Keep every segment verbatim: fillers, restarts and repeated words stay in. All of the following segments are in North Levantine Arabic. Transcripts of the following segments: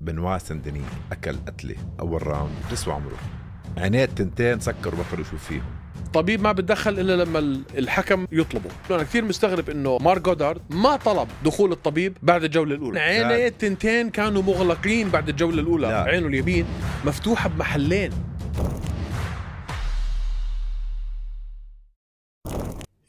بنوا سندني أكل قتلة أول راوند بتسوى عمره، عينيه تنتين سكر وبطل يشوف فيهم. طبيب ما بتدخل إلا لما الحكم يطلبه. أنا كثير مستغرب إنه مارك جودارد ما طلب دخول الطبيب بعد الجولة الأولى. عينيه التنتين كانوا مغلقين بعد الجولة الأولى. لا. عينه اليمين مفتوحة بمحلين.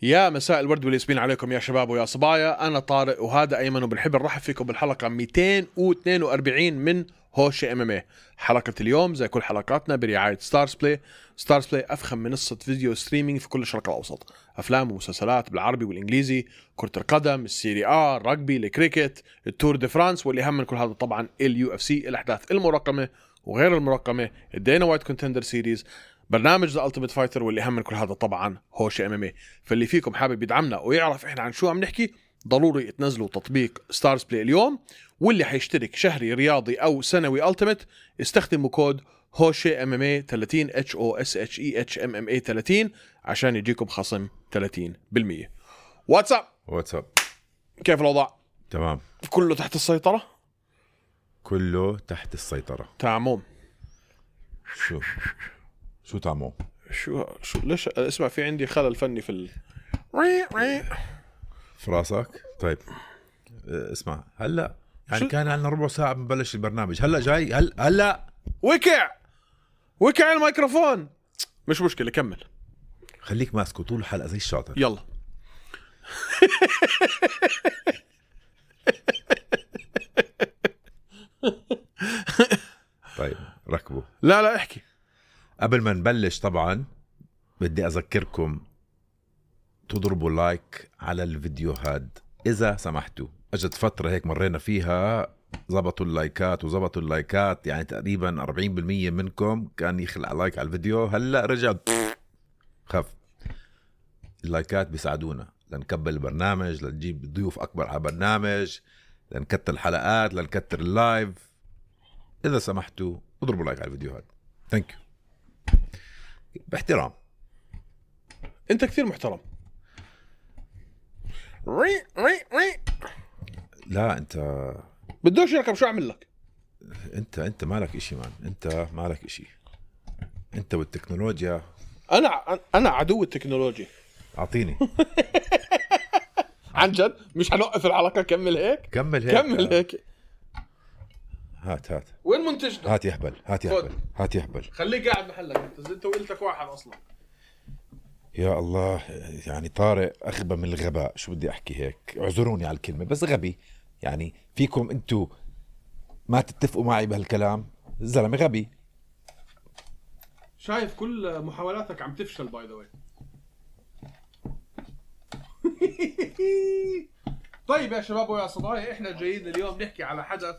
يا مساء الورد والياسمين عليكم يا شباب ويا صبايا. أنا طارق وهذا أيمن، وبنحب نرحب فيكم بالحلقة مئتين واثنين وأربعين من هوشة ام ام اي. حلقة اليوم زي كل حلقاتنا برعاية ستارز بلاي. ستارز بلاي أفخم منصة فيديو ستريمينج في كل الشرق الأوسط، أفلام ومسلسلات بالعربي والإنجليزي، كرة القدم، السيري آ، الرجبي، الكريكت، التور دي فرانس، واللي هم من كل هذا طبعا اليو اف سي، الأحداث المرقمة وغير المرقمة، الدينا وايت كونتندر سيريز، برنامج ذا التيميت فايتر، واللي هم من كل هذا طبعا هوشة ام ام اي. فاللي فيكم حابب يدعمنا ويعرف احنا عن شو عم نحكي، ضروري تنزلوا تطبيق ستارز بلاي اليوم. واللي حيشترك شهري رياضي او سنوي التيميت استخدموا كود هوشة ام ام اي ثلاثين اتش او اس اتش اي اتش ام ام اي ثلاثين عشان يجيكم خصم ثلاثين بالمية. واتساب واتساب، كيف الوضع؟ تمام، كله تحت السيطرة، كله تحت السيطرة. تعموم شو شو تعموم؟ شو شو ليش اسمع في عندي خلل فني في ال... في راسك؟ طيب اسمع، هلا يعني كان عندنا ربع ساعة بنبلش البرنامج، هلا جاي هل هلا وكع وكع الميكروفون. مش مشكلة، كمل، خليك ماسكه طول الحلقة زي الشاطر. يلا. طيب ركبوا. لا لا احكي. قبل ما نبلش طبعا بدي أذكركم تضربوا لايك على الفيديو هاد إذا سمحتوا. أجت فترة هيك مرينا فيها زبطوا اللايكات وزبطوا اللايكات، يعني تقريبا أربعين بالمية منكم كان يخلع لايك على الفيديو، هلأ رجع خف. اللايكات بيساعدونا لنكبل البرنامج، لنجيب ضيوف أكبر على برنامج، لنكتر الحلقات، لنكتر اللايف. إذا سمحتوا اضربوا لايك على الفيديو هاد. ثانك يو. باحترام. انت كثير محترم. ري ري ري. لا انت بدوش يركب، شو اعمل لك؟ انت انت مالك اشي مان، انت مالك اشي، انت والتكنولوجيا. انا انا عدو التكنولوجيا. اعطيني. عن جد مش هنوقف الحلقة، كمل هيك كمل هيك كمل هيك. هات هات وين منتجنا؟ هات يهبل هات يهبل هات يهبل. خليك قاعد محلك، انت انت وقلتك واحد اصلا. يا الله، يعني طارق اغبى من الغباء. شو بدي احكي هيك، اعذروني على الكلمة بس غبي. يعني فيكم انتو ما تتفقوا معي بهالكلام، الزلمة غبي. شايف كل محاولاتك عم تفشل باي ذا واي. طيب يا شباب ويا صبايا، احنا جايين اليوم نحكي على حدث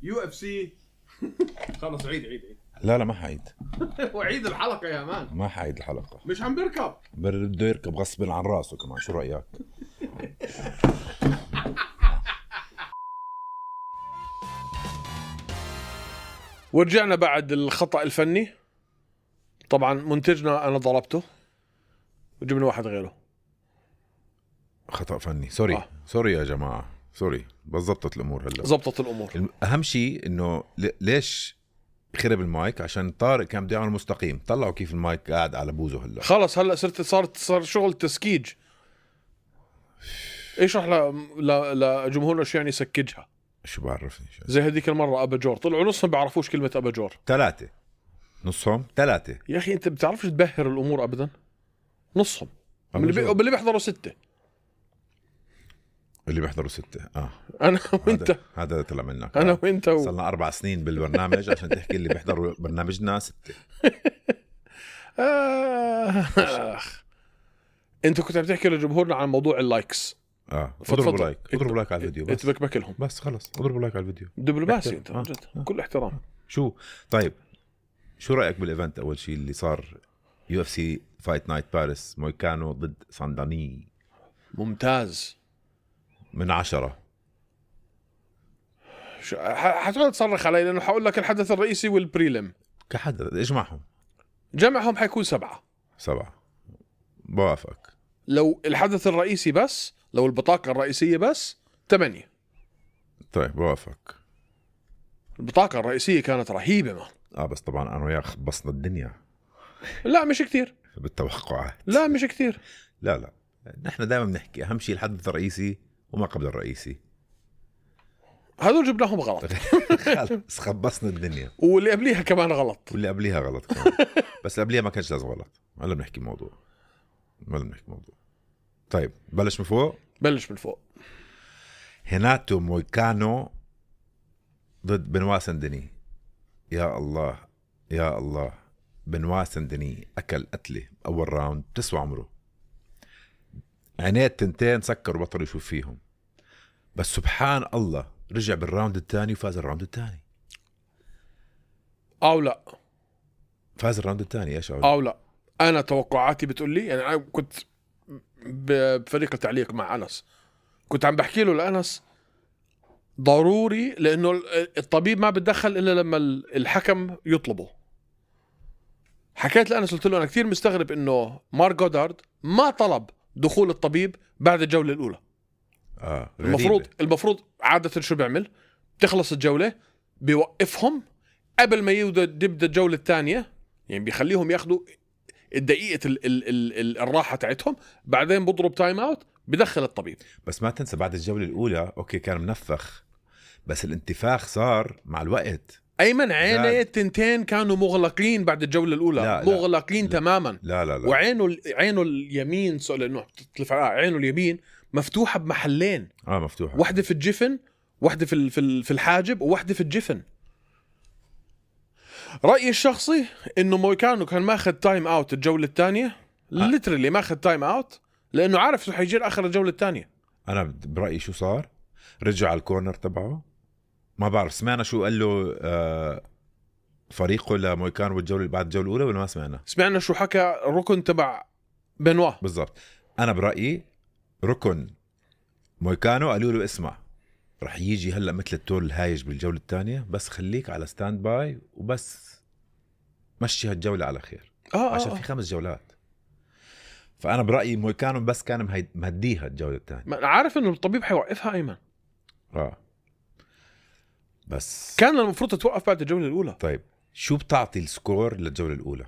يو اف سي. خلص عيد عيد عيد. لا لا ما حعيد. وعيد الحلقة يا مان. ما حعيد الحلقة، مش عم بركب، بده يركب غصب عن راسه كمان. شو رأيك؟ ورجعنا بعد الخطأ الفني. طبعا منتجنا انا ضربته وجبنا واحد غيره. خطأ فني، سوري آه. سوري يا جماعة، سوري. بس زبطت الأمور هلا، زبطت الأمور. أهم شيء إنه ليش خرب المايك؟ عشان طارق كان بده يعمل مستقيم. طلعوا كيف المايك قاعد على بوزه هلا. خلص هلا صرت صارت صار شغل تسكيج. ايش رح لجمهورنا شو يعني سكجها؟ شو بعرفني شو. زي هذيك المرة أباجور طلعوا نصهم بيعرفوش كلمة أباجور. ثلاثة نصهم ثلاثة. يا أخي أنت بتعرفش تبهر الأمور أبدا. نصهم اللي, بي... اللي بيحضروا ستة، اللي بيحضروا ستة. آه أنا وأنت. هذا, هذا طلع منك. أنا آه. وأنت و... صلنا أربع سنين بالبرنامج عشان تحكي اللي بيحضروا برنامجنا ستة. آه. أنت كنت بتحكي لجمهورنا عن موضوع اللايكس. اه اضربوا لايك، اضربوا لايك على الفيديو بس. اتبكبك لهم بس خلص، اضربوا لايك على الفيديو. دبلوماسي انت عن جد. آه. كل احترام. شو طيب، شو رايك بالايفنت اول شيء اللي صار يو اف سي فايت نايت باريس، مويكانو ضد سانداني؟ ممتاز من عشرة. شو حتقعد تصرخ علي لانه حقول لك الحدث الرئيسي والبريلم كحدث اجمعهم جمعهم حيكون سبعة. سبعة بوافق. لو الحدث الرئيسي بس، لو البطاقة الرئيسية بس ثمانية. طيب بوافق. البطاقة الرئيسية كانت رهيبة ما. اه بس طبعا انا وياك خبصنا الدنيا لا مش كتير. بالتوقعات. لا مش كتير. لا لا نحن دائما بنحكي اهم شيء الحدث الرئيسي وما قبل الرئيسي. هذول جبناهم غلط. خلص خبصنا الدنيا. واللي قبليها كمان غلط. واللي قبليها غلط كمان. بس قبليها ما كانش لازم غلط. هلا بنحكي موضوع. هلا بنحكي موضوع. طيب بلش من فوق. بلش من فوق. هيناتو مويكانو ضد بنوا سندني. يا الله يا الله. بنوا سندني أكل قتلة أول راوند تسوى عمره. عينيه التنتين سكر وبطل يشوف فيهم. بس سبحان الله رجع بالراوند الثاني وفاز الراوند الثاني. أو لا فاز الراوند الثاني. إيش أو, أو لا أنا توقعاتي بتقول لي يعني. أنا كنت بفريق التعليق مع أنس كنت عم بحكي له لأنس ضروري لأنه الطبيب ما بتدخل إلا لما الحكم يطلبه. حكيت لأنس قلت له أنا كثير مستغرب إنه مارك جودارد ما طلب دخول الطبيب بعد الجولة الأولى. آه المفروض المفروض عادة شو بيعمل؟ تخلص الجولة بيوقفهم قبل ما يبدأ الجولة الثانية، يعني بيخليهم ياخدوا الدقيقة ال ال ال ال الراحة تاعتهم، بعدين بضرب تايم اوت بدخل الطبيب. بس ما تنسى بعد الجولة الأولى أوكي كان منفخ بس الانتفاخ صار مع الوقت. أيمن عينيه التنتين كانوا مغلقين بعد الجولة الأولى. لا مغلقين لا. تماما. لا لا لا. وعينه عينه اليمين لأنه تتلف عينه اليمين مفتوحة بمحلين. اه مفتوحة. واحدة في الجفن، واحدة في في الحاجب، وواحدة في الجفن. رأيي الشخصي إنه مويكانو كان ماخذ تايم اوت الجولة الثانية. آه. ليترلي ماخذ تايم اوت لأنه عارف شو حيجي آخر الجولة الثانية. أنا برأيي شو صار؟ رجع على الكورنر تبعه، ما بعرف سمعنا شو قال له آه فريقه لمويكانو بالجولة بعد الجولة الأولى ولا ما سمعنا؟ سمعنا شو حكى الركن تبع بنوا بالضبط. أنا برأيي ركن مويكانو قالوا له اسمع رح يجي هلأ مثل التور الهايج بالجولة الثانية، بس خليك على ستاند باي وبس مشي هالجولة على خير. آه عشان آه. في خمس جولات. فأنا برأيي مويكانو بس كان مهديها الجولة الثانية. ما أنا عارف إنه الطبيب حيوقفها أيمن. آه بس كان المفروض تتوقف بعد الجولة الأولى. طيب شو بتعطي السكور للجولة الأولى؟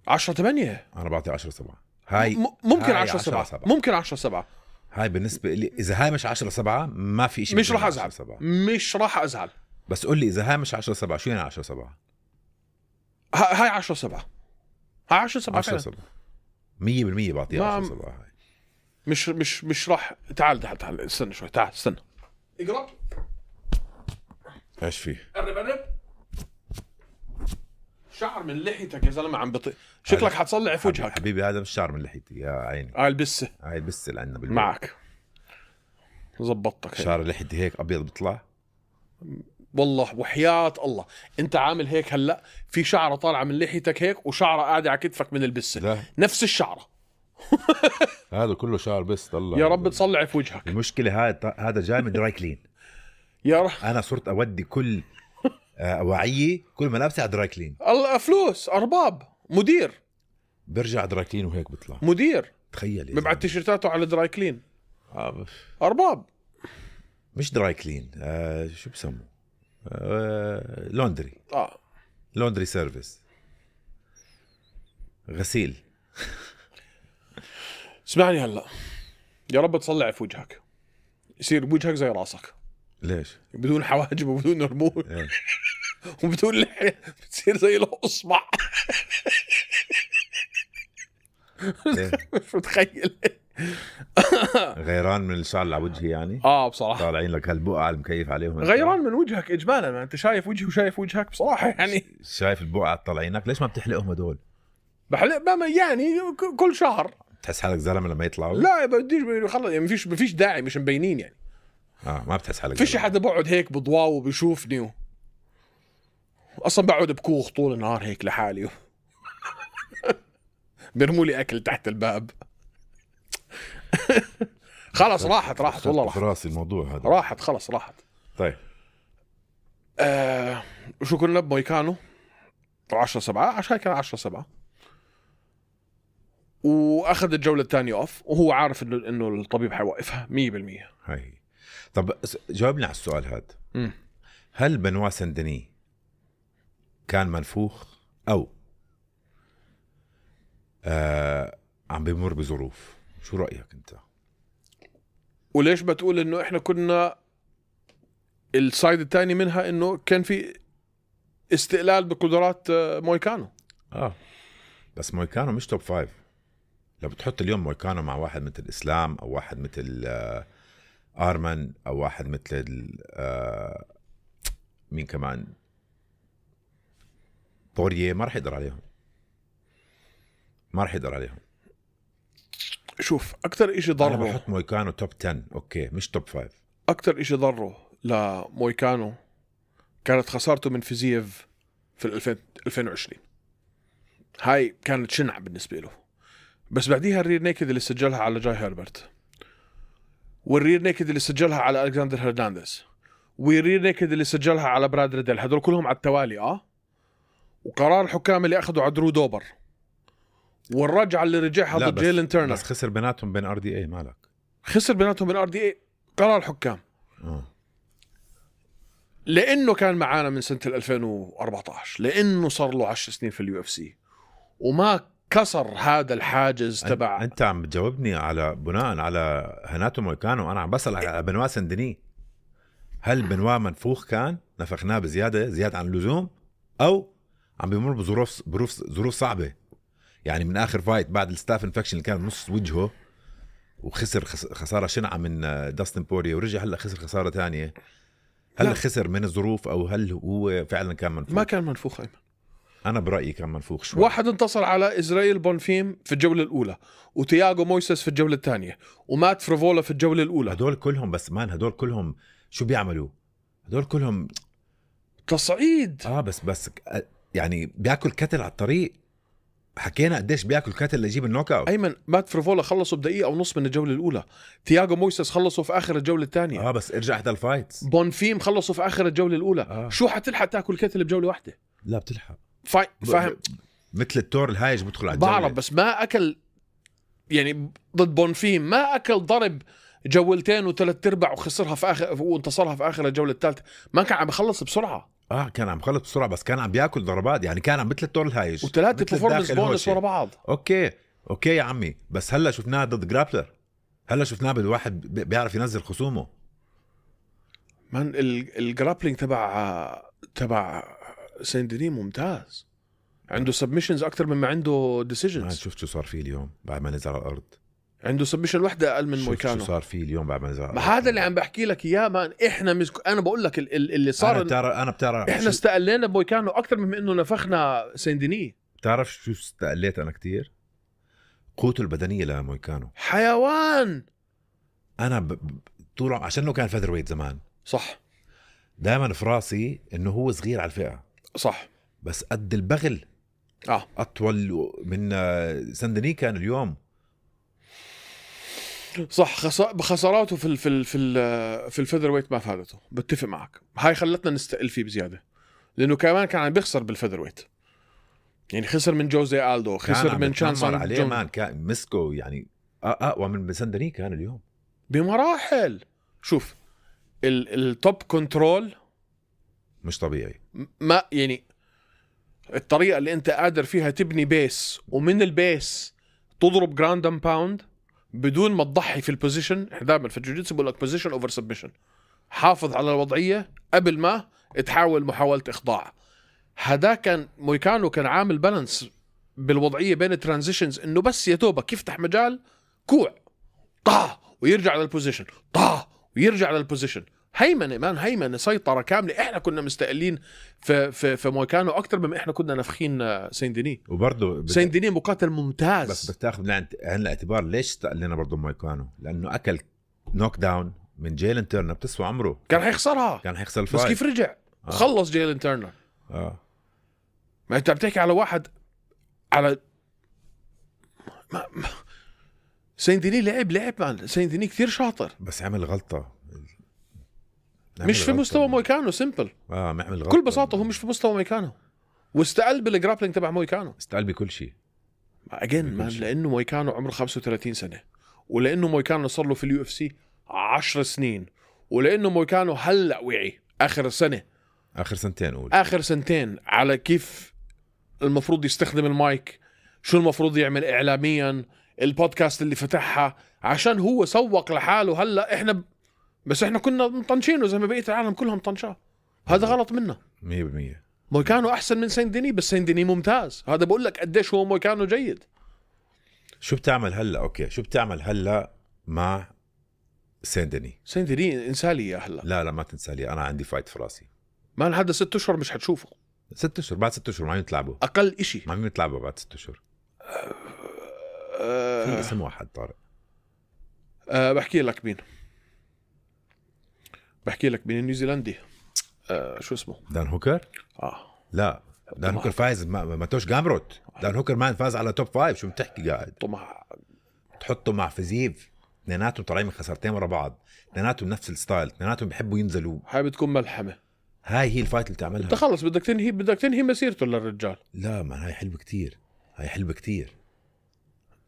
عشرة ثمانية. أنا بعطي عشرة سبعة. هاي م- ممكن عشرة سبعة. ممكن عشرة سبعة. هاي بالنسبة لي إذا هاي مش عشرة سبعة ما في إشي. مش راح أزعل. مش راح أزعل. بس قل لي إذا هاي مش عشرة سبعة شو يعني عشرة سبعة؟ هاي عشرة سبعة. هاي عشرة سبعة. عشرة سبعة. مية بالمية بعطيها عشرة سبعة. هاي مش مش مش راح. تعال تعال تعال استنى شوي. تعال استنى. اقرب. ايش فيه؟ قرب قرب. شعر من لحيتك يا زلمه عم بطيء. شكلك حتصلع في وجهك. حبيبي هذا مش شعر من لحيتي يا عيني. هاي البسه. هاي البسه اللي عندنا بالبيت. معك. زبطتك. شعر لحيتي هيك ابيض بيطلع. والله وحياة الله انت عامل هيك هلا في شعره طالعه من لحيتك هيك وشعره قاعده على كتفك من البسه. لا. نفس الشعره. هذا كله شعر بس طلع. يا رب تصلع في وجهك. المشكله هذا هذا جاي من دراي كلين. يا رب. انا صرت اودي كل اواعيه كل ملابسي على دراي كلين. الله فلوس ارباب مدير برجع دراي كلين وهيك بيطلع مدير. تخيل ببعت تيشيرتاته على دراي كلين. آه. ارباب مش دراي كلين. آه شو بسموه آه لوندري. اه لوندري سيرفيس غسيل. اسمعني هلا يا رب تصلع في وجهك يصير وجهك زي راسك. ليش؟ بدون حواجب وبدون رموش. إيه؟ وبدون لحية بتصير زي الأصبع. إيه؟ مش متخيل. غيران من الشعر اللي على وجهي يعني. اه بصراحة طالعين لك هالبقعة المكيف عليهم. غيران من وجهك إجمالا. ما أنت شايف وجهي وشايف وجهك بصراحة يعني. شايف البقعة طالعينك ليش ما بتحلقهم هدول؟ بحلق بما يعني كل شهر. تحس حالك زلمة لما يطلعوا؟ لا بديش خلص يعني. مفيش مفيش داعي مش مبينين يعني. اه ما بتحس حالك. فيش حدا بقعد هيك بضواو وبيشوفني و... اصلا بقعد بكوخ طول النهار هيك لحالي. بيرموا لي اكل تحت الباب. خلص راحت راحت والله راحت. راسي الموضوع هذا. راحت خلص راحت. طيب آه... وشو كنا بمويكانو عشرة سبعة عشان كان عشرة سبعة واخذ الجولة الثانية اوف وهو عارف انه انه الطبيب حيوقفها مية بالمية. هاي طب جاوبني على السؤال هذا. م. هل بنوا سندني كان منفوخ او آه عم بيمر بظروف؟ شو رأيك انت؟ وليش بتقول انه احنا كنا السايد الثاني منها انه كان في استقلال بقدرات مويكانو؟ اه بس مويكانو مش توب فايف. لو بتحط اليوم مويكانو مع واحد مثل اسلام او واحد مثل آه ارمن او واحد مثل آه مين كمان بوريه، ما رح يقدر عليهم، ما رح يقدر عليهم. شوف اكثر اشي ضره، انا بحط مويكانو توب عشرة اوكي مش توب فايف. اكثر اشي ضره لمويكانو كانت خسارته من فيزييف في ألفين وعشرين. هاي كانت شنعة بالنسبة له. بس بعديها الرير نيكد اللي سجلها على جاي هيربرت، والرير نيكد اللي سجلها على ألكسندر هرنانديز، والرير نيكد اللي سجلها على براد ريدل، هدول كلهم على التوالي. اه وقرار الحكام اللي اخذوا على درو دوبر، والرجعة اللي رجعها ضد جيلن تيرنر. بس خسر بيناتهم بين ار دي اي. مالك خسر بيناتهم بين ار دي اي قرار الحكام. اه لانه كان معانا من سنة ألفين وأربعتاشر، لانه صار له عشر سنين في اليو اف سي وما كسر هذا الحاجز تبع. انت عم بتجاوبني على بناء على هناتو مويكانو، انا عم بسأل على بنوا سندني. هل بنوا منفوخ كان نفخناه بزيادة زيادة عن اللزوم، او عم بيمر بظروف ظروف ظروف صعبة؟ يعني من اخر فايت بعد الستاف انفكشن اللي كان بنص وجهه وخسر خسارة شنعة من داستن بوريه، ورجع هلا خسر خسارة تانية. هل لا. خسر من الظروف او هل هو فعلا كان منفوخ؟ ما كان منفوخ ايمن. انا برأيي كان منفوخ شوي. واحد انتصر على إسرائيل بونفيم في الجولة الأولى، وتياغو مويسس في الجولة الثانية، ومات فريفولا في الجولة الأولى. هدول كلهم بس مان هدول كلهم شو بيعملوا؟ هدول كلهم تصعيد. اه بس بس يعني بياكل كتل على الطريق. حكينا قديش بياكل كتل ليجيب النوك اوت. ايمن مات فريفولا خلصوا بدقيقة ونص من الجولة الأولى، تياغو مويسس خلصوا في آخر الجولة الثانية. اه بس ارجع احدى الفايتس. بونفيم خلصوا في آخر الجولة الأولى. آه. شو حتلحق تاكل كتل بجولة واحدة؟ لا بتلحق. فا... فاهم. مثل التور الهايج بدخل على الجولة. بعرف بس ما أكل يعني ضد بونفيم، ما أكل ضرب جولتين وثلاث ارباع وخسرها في آخر وانتصرها في آخر الجولة الثالثة. ما كان عم يخلص بسرعة. اه كان عم يخلص بسرعة بس كان عم بياكل ضربات. يعني كان عم مثل التور الهايج وثلاثة performance بونس ورا بعض. اوكي اوكي يا عمي، بس هلا شفناه ضد جرابلر. هلا شفناه بالواحد بيعرف ينزل خصومه. من الجرابلينج تبع تبع سيندني ممتاز، عنده سبمشنز اكثر مما عنده ديسيجنز. شفت شو صار فيه اليوم بعد ما نزل على الارض؟ عنده سبمشن وحده اقل من مويكانو. شو صار فيه اليوم بعد ما نزل على الارض؟ هذا اللي عم بحكي لك اياه مان. احنا مسك... انا بقول لك اللي صار انا بتعرف انا بتعرف احنا شو... استقلينا بمويكانو اكثر من انه نفخنا سيندني. بتعرف شو استقليت انا كتير؟ قوته البدنيه لمويكانو حيوان. انا ب... طول عشان انه كان فيذر ويت زمان. صح. دائما في راسي انه هو صغير على الفئه. صح. بس قد البغل. اه اطول من سندني كان اليوم. صح. خس... بخساراته في ال... في ال... في ال... في الفيذر ويت ما فادته. بتفق معك. هاي خلتنا نستقل فيه بزياده، لانه كمان كان عم بيخسر بالفيذر ويت. يعني خسر من جوزي آلدو، خسر من شانسون عليه مان. كان مسكو يعني اقوى من سندني كان اليوم بمراحل. شوف التوب كنترول مش طبيعي. ما يعني الطريقه اللي انت قادر فيها تبني بيس، ومن البيس تضرب جراوند اند باوند بدون ما تضحي في البوزيشن. دائما في الجوجيتسو بقول لك بوزيشن اوفر سبمشن. حافظ على الوضعيه قبل ما تحاول محاوله اخضاع. هذا كان مويكانو كان عامل بالانس بالوضعيه بين الترانزيشنز، انه بس يا دوبك يفتح مجال كوع طا ويرجع للبوزيشن، طا ويرجع للبوزيشن. هيمنه مان، هيمنه سيطره كامله. احنا كنا مستقلين في في في مويكانو اكثر مما احنا كنا نافخين سيندني. وبرضه بت... سيندني مقاتل ممتاز. بس بتاخذ بعين الاعتبار ليش استقلنا برضه مويكانو، لانه اكل نوك داون من جيلن تيرنر بتسوى عمره. كان حيخسرها، كان حيخسر الفايت. بس كيف رجع آه. وخلص جيلن تيرنر. اه ما انت بتحكي على واحد على ما... ما... سيندني لعب لعب مان. سيندني كثير شاطر بس عمل غلطه مش في مستوى مويكانو. سيمبل اه معمل غلطه بكل بساطه. هو مش في مستوى مويكانو، واستقل بالجرابلينج تبع مويكانو. استقل بكل شيء اجين مان، لانه مويكانو عمره خمسة وثلاثين سنه، ولانه مويكانو صار له في اليو اف سي عشر سنين، ولانه مويكانو هلا وعي اخر سنه اخر سنتين قول. اخر سنتين على كيف المفروض يستخدم المايك، شو المفروض يعمل اعلاميا، البودكاست اللي فتحها، عشان هو سوق لحاله. هلا احنا ب... بس احنا كنا مطنشينه زي ما بقية العالم كلهم طنشاه. هذا غلط منا. مية بالمية. مويكانو احسن من سين ديني، بس سين ديني ممتاز. هذا بقول لك قديش هو مويكانو جيد. شو بتعمل هلا؟ اوكي شو بتعمل هلا مع سين ديني؟ سين ديني انسالي يا هلا. لا لا ما تنسى لي، انا عندي فايت في راسي. ما لحد ست اشهر مش حتشوفه. ست اشهر بعد ست اشهر ما عم يتلعبوا. اقل اشي ما عم يتلعبوا بعد ست اشهر. أه في اسم واحد طارق. أه بحكي لك مين بحكي لك مين النيوزيلندي. أه شو اسمه؟ دان هوكر. اه لا دان هوكر فايز ما, ما توش جامروت. دان هوكر ما فاز على توب فايف. شو بتحكي قاعد؟ طمع. تحطه مع فيزيف، اثنيناتهم طالعين من خسارتين ورا بعض، اثنيناتهم نفس الستايل، اثنيناتهم بيحبوا ينزلوا. هاي بتكون ملحمه. هاي هي الفايت اللي تعملها. انت خلص بدك تنهي بدك تنهي مسيرته للرجال. لا ما هاي حلوه كتير، هاي حلوه كتير.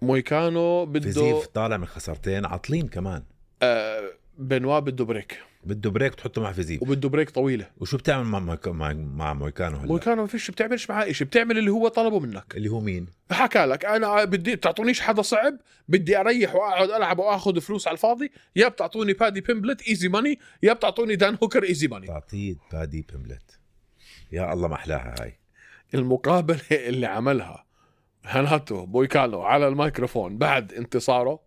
مويكانو بده فيزيف طالع من خسارتين عاطلين كمان. آه بنوا بده بريك، بده بريك تحطه مع فيزيف. وبده بريك طويله. وشو بتعمل مع مويك... مع, مع مويكانو هلا؟ مويكانو ما فيش بتعملش معاه شيء، بتعمل اللي هو طلبه منك. اللي هو مين؟ حكى لك انا بدي بتعطونيش حدا صعب، بدي اريح واقعد العب واخذ فلوس على الفاضي، يا بتعطوني بادي بيمبلت ايزي ماني، يا بتعطوني دان هوكر ايزي ماني. تعطيه بادي بيمبلت، يا الله ما احلاها هاي. المقابله اللي عملها هناتو مويكانو على الميكروفون بعد انتصاره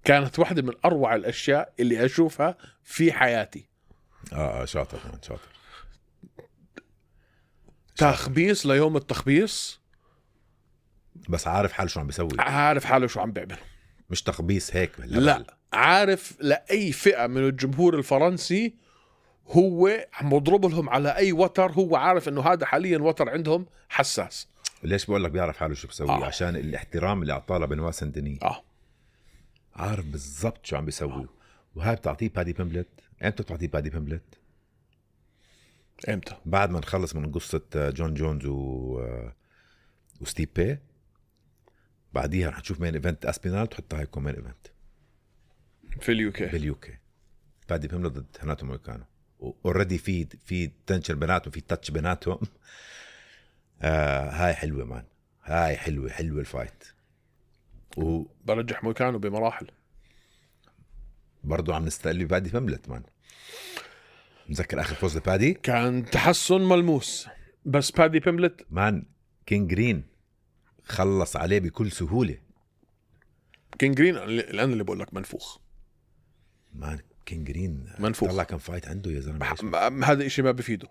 كانت واحدة من أروع الأشياء اللي أشوفها في حياتي. اه شاطر شاطر. تخبيص ليوم التخبيص، بس عارف حاله شو عم بيسوي. عارف حاله شو عم بيعمل. مش تخبيص هيك باللبل. لا عارف لأي فئة من الجمهور الفرنسي هو عم يضرب لهم على أي وتر. هو عارف إنه هذا حاليا وتر عندهم حساس. ليش بقول لك بيعرف حاله شو بيسوي؟ آه. عشان الاحترام اللي اعطاه بنوا سين ديني. اه عارف بالضبط شو عم بيسوي. وهاي بتعطيه بادي بيمبلت. امتى بتعطيه بادي بيمبلت؟ امتى؟ بعد ما نخلص من قصة جون جونز و وستيبي، بعديها رح نشوف مين ايفنت اسبينال تحطها هاي كومين ايفنت في اليوكي. باليوكي. بادي بيمبلت ضد هناتو مويكانو. اوريدي في في تنشن بيناتهم، في تاتش بيناتهم. آه هاي حلوة مان، هاي حلوة حلوة الفايت. و برجح مويكانو بمراحل. برضو عم نستقل بادي بيمبلت مان. مذكر اخر فوز لبادي كان تحسن ملموس، بس بادي بيمبلت مان كين جرين خلص عليه بكل سهولة. كين جرين الان اللي بقول لك منفوخ مان. كين جرين منفوخ. طلع كم فايت عنده يا زلمة. م- هذا إشي ما بفيده.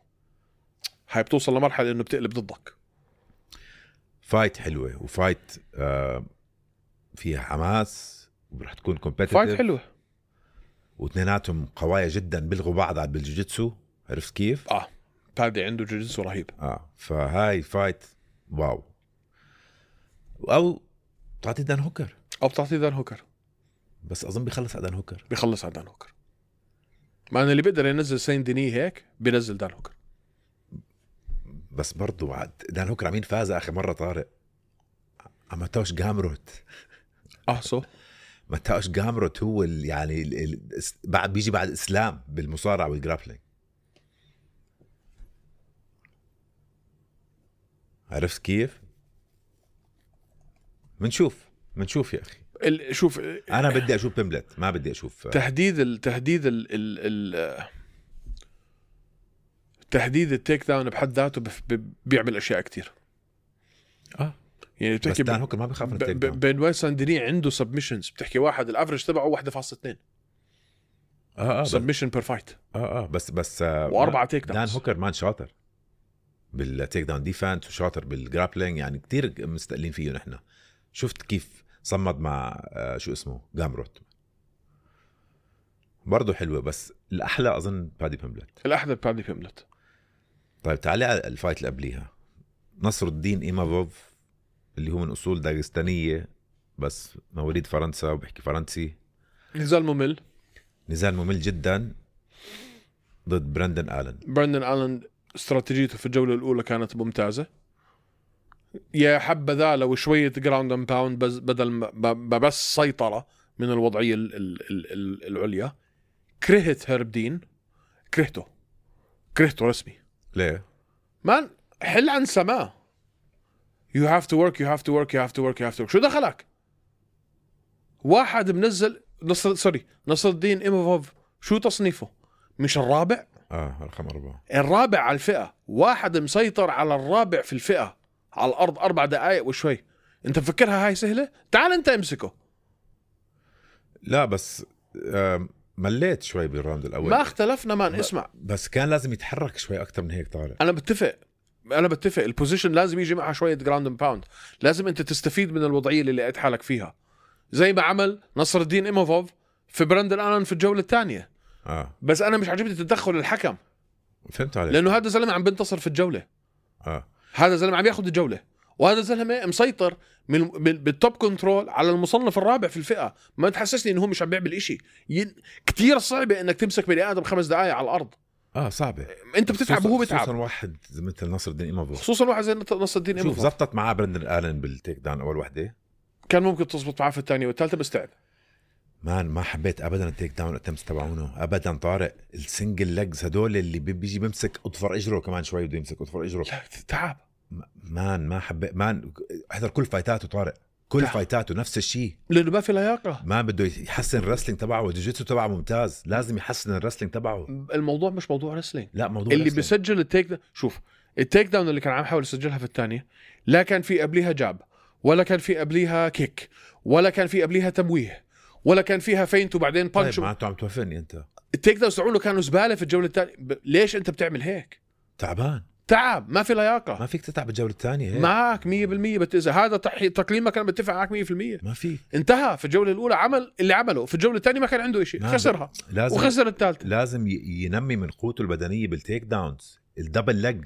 هاي بتوصل لمرحلة إنه بتقلب ضدك. فايت حلوة وفايت آه فيها حماس ورح تكون كومبيتيتيف. فايت حلوة واثنيناتهم قوايا جدا، بيلغوا بعض على بالجوجيتسو. عرفت كيف؟ اه بادي عنده جوجيتسو رهيب. اه فهاي فايت واو. او تعطي دان هوكر، او بتعطي دان هوكر، بس اظن بيخلص على دان هوكر. بيخلص على دان هوكر. مع ان اللي بيقدر ينزل سين ديني هيك بينزل دان هوكر. بس برضو عاد دان هوكر عمين فاز اخر مره طارق؟ ماتوش جامروت. اه سو ماتوش جامروت هو ال يعني ال ال بعد بيجي بعد اسلام بالمصارعه والجرابلينج. عرفت كيف؟ منشوف منشوف يا اخي. ال... شوف انا بدي اشوف بيمبلت، ما بدي اشوف تحديد التحديد ال ال ال تحديد التيك داون بحد ذاته بف... بيعمل اشياء كتير. اه يعني بس بتحكي دان هوكر ما بخاف من التيك داون. بنواي سانديني عنده سبمشنز، بتحكي واحد الافرج تبعه واحد فاصلة اثنين اه اه سبمشن بير فايت. اه اه بس بس آه واربعه تيك داونز. دان هوكر مان شاطر بالتيك داون ديفنس وشاطر بالجرابلينج، يعني كتير مستقلين فيه نحن. شفت كيف صمد مع آه شو اسمه جامروت، برضه حلوه. بس الاحلى اظن بادي بيمبلت. الاحلى بادي بيمبلت. طيب تعالي على الفايت اللي قبليها، نصر الدين إيمافوف اللي هو من اصول داغستانيه بس مواليد فرنسا وبيحكي فرنسي. نزال ممل، نزال ممل جدا ضد براندن آلن. براندن آلن استراتيجيته في الجوله الاولى كانت ممتازه، يا حبذا لو شويه جراوند اند باوند بدل ما بس سيطره من الوضعيه ال ال ال العليا. كرهت هرب دين، كرهته كرهته رسمي. ليه؟ مان حل عن سماه. you have to work you have to work you have to work you have to work. شو دخلك؟ واحد منزل نصر سوري نصر الدين إيموفوف شو تصنيفه؟ مش الرابع؟ اه رقم أربعة. الرابع على الفئة، واحد مسيطر على الرابع في الفئة على الأرض أربع دقائق وشوي. أنت مفكرها هاي سهلة؟ تعال أنت امسكه. لا بس آه مليت شوي بالراوند الأول. ما اختلفنا مان. اسمع بس كان لازم يتحرك شوي أكتر من هيك طارق. أنا بتفق أنا بتفق البوزيشن لازم يجي معها شوية جراوند اند باوند. لازم أنت تستفيد من الوضعية اللي لقيت حالك فيها، زي ما عمل نصر الدين إيموفوف في براندن آلن في الجولة الثانية. آه. بس أنا مش عجبني تدخل الحكم. فهمت عليك. لأنه هذا زلمة عم بنتصر في الجولة. آه. هذا زلمة عم ياخد الجولة، وهذا زلمة مسيطر من بالتوب كنترول على المصنف الرابع في الفئة. ما تحسسني إنه هو مش عم بيعمل إشي. ين... كتير صعبة إنك تمسك بني آدم خمس دقايق على الأرض. اه صعبة. أنت بتتعب وهو بتعب. خصوصا واحد مثل نصر الدين إيموفوف. خصوصا واحد زي نصر الدين شوف إيموفوف. زبطت معاه براندن آلن بالتيك داون أول وحدة. كان ممكن تزبط معاه في الثانية والثالثة بس تعب. مان ما حبيت ابدا التيك داون اتمس تبعونه ابدا طارق. السنجل ليجز هدول اللي بيجي بيمسك اطفر اجره كمان شوي بده يمسك اطفر اجره. لا تعب مان ما حبيت. مان احضر كل فايتاته طارق، كل تعب. فايتاته نفس الشيء لانه ما في لياقه. ما بده يحسن الرسلينج تبعه والجوجيتسو تبعه ممتاز. لازم يحسن الرسلينج تبعه. الموضوع مش موضوع رسلينج. لا موضوع اللي رسلينج. بيسجل التيك دا... شوف التيك داون اللي كان عم يحاول يسجلها في الثانية لا كان في قبليها جاب، ولا كان في قبليها كيك، ولا كان في قبليها تمويه، ولا كان فيها فينت وبعدين بانش. طيب معناته عم توفني انت. التيك داونز تبعونه كانوا زباله في الجوله الثانيه. ب... ليش انت بتعمل هيك؟ تعبان. تعب ما في لياقه. ما فيك تتعب الجوله الثانيه هيك. معك مية بالمية. بت... اذا هذا تحي... تقييمك انا بتفق معك مية بالمية. ما في. انتهى في الجوله الاولى عمل اللي عمله، في الجوله الثانيه ما كان عنده شيء، خسرها لازم... وخسر الثالثه. لازم ي... ينمي من قوته البدنيه بالتيك داونز. الدبل ليج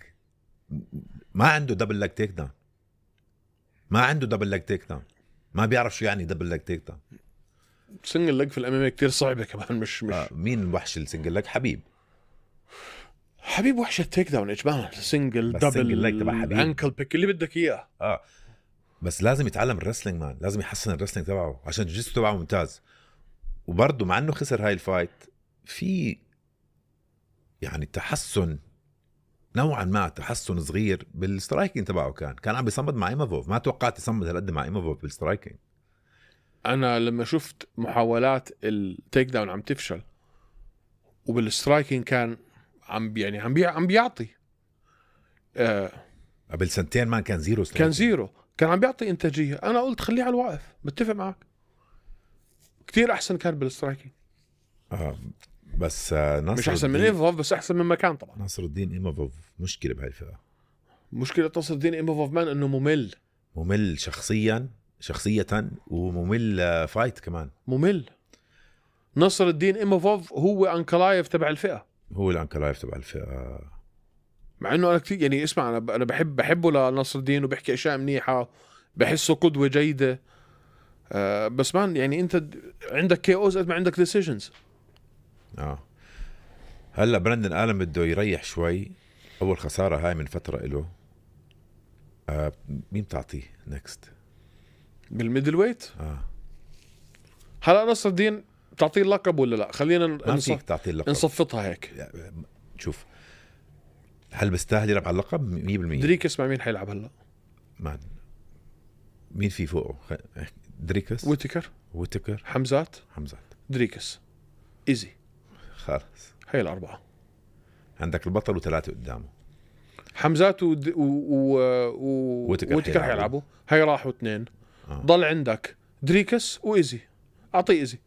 ما عنده دبل ليج تيك داون. ما عنده دبل ليج تيك داون. ما بيعرف شو يعني دبل ليج تيك داون. سنجل ليج في الام ام كثير صعبه كمان. مش مش آه مين الوحش السنجل ليج؟ حبيب. حبيب وحش التيك داون اجمالا. سنجل دبل ليج تبع حبيب، انكل بيك اللي بدك اياه. اه بس لازم يتعلم الرسلينج مان. لازم يحسن الرسلينج تبعه عشان الجسم تبعه ممتاز. وبرضه مع انه خسر هاي الفايت في يعني تحسن نوعا ما، تحسن صغير بالسترايكينج تبعه. كان كان عم بيصمد مع إيموفوف. ما توقعت يصمد هالقد مع إيموفوف بالسترايكينج. انا لما شفت محاولات التيك داون عم تفشل وبالسترايكينج كان عم يعني عم بي عم بيعطي آه قبل سنتين ما كان زيرو كان زيرو، كان عم بيعطي انتاجيه. انا قلت خليه على الواقف. بتفق معك كتير احسن كان بالسترايكينج. اه بس آه نصر مش احسن من ايموفوف بس احسن من مكان طبعا. نصر الدين إيموفوف مشكله بهاي الفئه. مشكله نصر الدين إيموفوف مان انه ممل. ممل شخصيا شخصيه وممل فايت كمان. ممل. نصر الدين إيموفوف هو انكلايف تبع الفئه. هو الانكلايف تبع الفئه. مع انه انا كثير يعني اسمع انا انا بحب بحبه لنصر الدين وبحكي اشياء منيحه، بحسه قدوه جيده. آه بس مان يعني انت عندك كي اوز قد ما عندك ديسيجنز. اه هلا براندن آلن بده يريح شوي. اول خساره هاي من فتره له. آه مين تعطيه نكست بالميدل ويت؟ اه هلا نصر الدين تعطيه اللقب ولا لا؟ خلينا ما فيك تعطيه اللقب. نصفطها هيك. شوف هل بيستاهل يلعب على اللقب؟ مية بالمية. دريكس مع مين حيلعب هلا؟ مان مين في فوقه؟ دريكس، ويتكر، ويتكر، حمزات، حمزات، دريكس، ايزي. خلاص هي الأربعة. عندك البطل وثلاثة قدامه. حمزات و و و و ويتكر حيلعبوا. هي راحوا اثنين. آه. ضل عندك دريكس وإيزي. أعطيه إيزي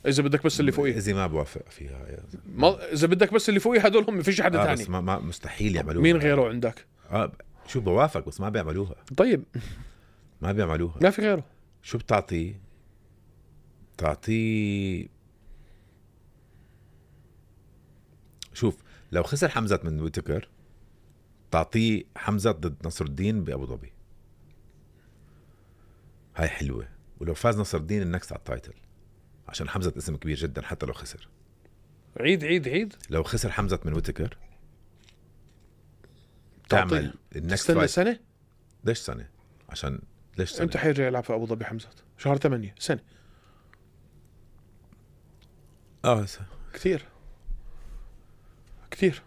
إذا بدك بس اللي فوقيه. إيزي ما بوافق فيها يا ما إذا بدك بس اللي فوقيه هدول هم، فيش حدا آه ثاني. بس ما, ما مستحيل يعملوها. مين غيره عندك؟ آه شو بوافق بس ما بيعملوها. طيب ما بيعملوها. ما في غيره. شو بتعطيه؟ تعطيه شوف لو خسر حمزة من ويتكر تعطيه حمزة ضد نصر الدين بأبو ظبي. هاي حلوة. ولو فاز نصر الدين النكست على التايتل عشان حمزة اسم كبير جدا حتى لو خسر. عيد عيد عيد. لو خسر حمزة من ويتكر تعمل النكست فايت سنة. ليش سنة؟ عشان ليش سنة؟ امتى حيرجع يلعب في ابو ظبي حمزة؟ شهر ثمانية سنة. اه كثير كثير.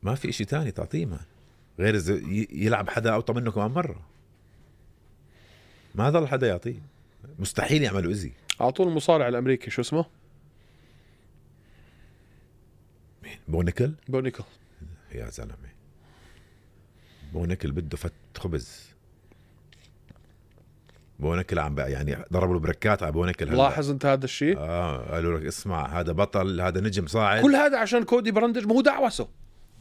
ما في اشي تاني تعطيه مان غير إذا ي- يلعب حدا اوطى منه كمان مرة. ما ضل حدا يعطيه، مستحيل يعملوا إزي. اعطوه المصارع الامريكي شو اسمه بونيكل بونيكل. يا زلمة، بونيكل بده فت خبز. بونيكل عم بقى يعني ضربوا له بركات على بونيكل. لاحظ انت هذا الشيء؟ اه قالوا لك اسمع هذا بطل، هذا نجم صاعد. كل هذا عشان كودي براندج. ما هو دعوسه.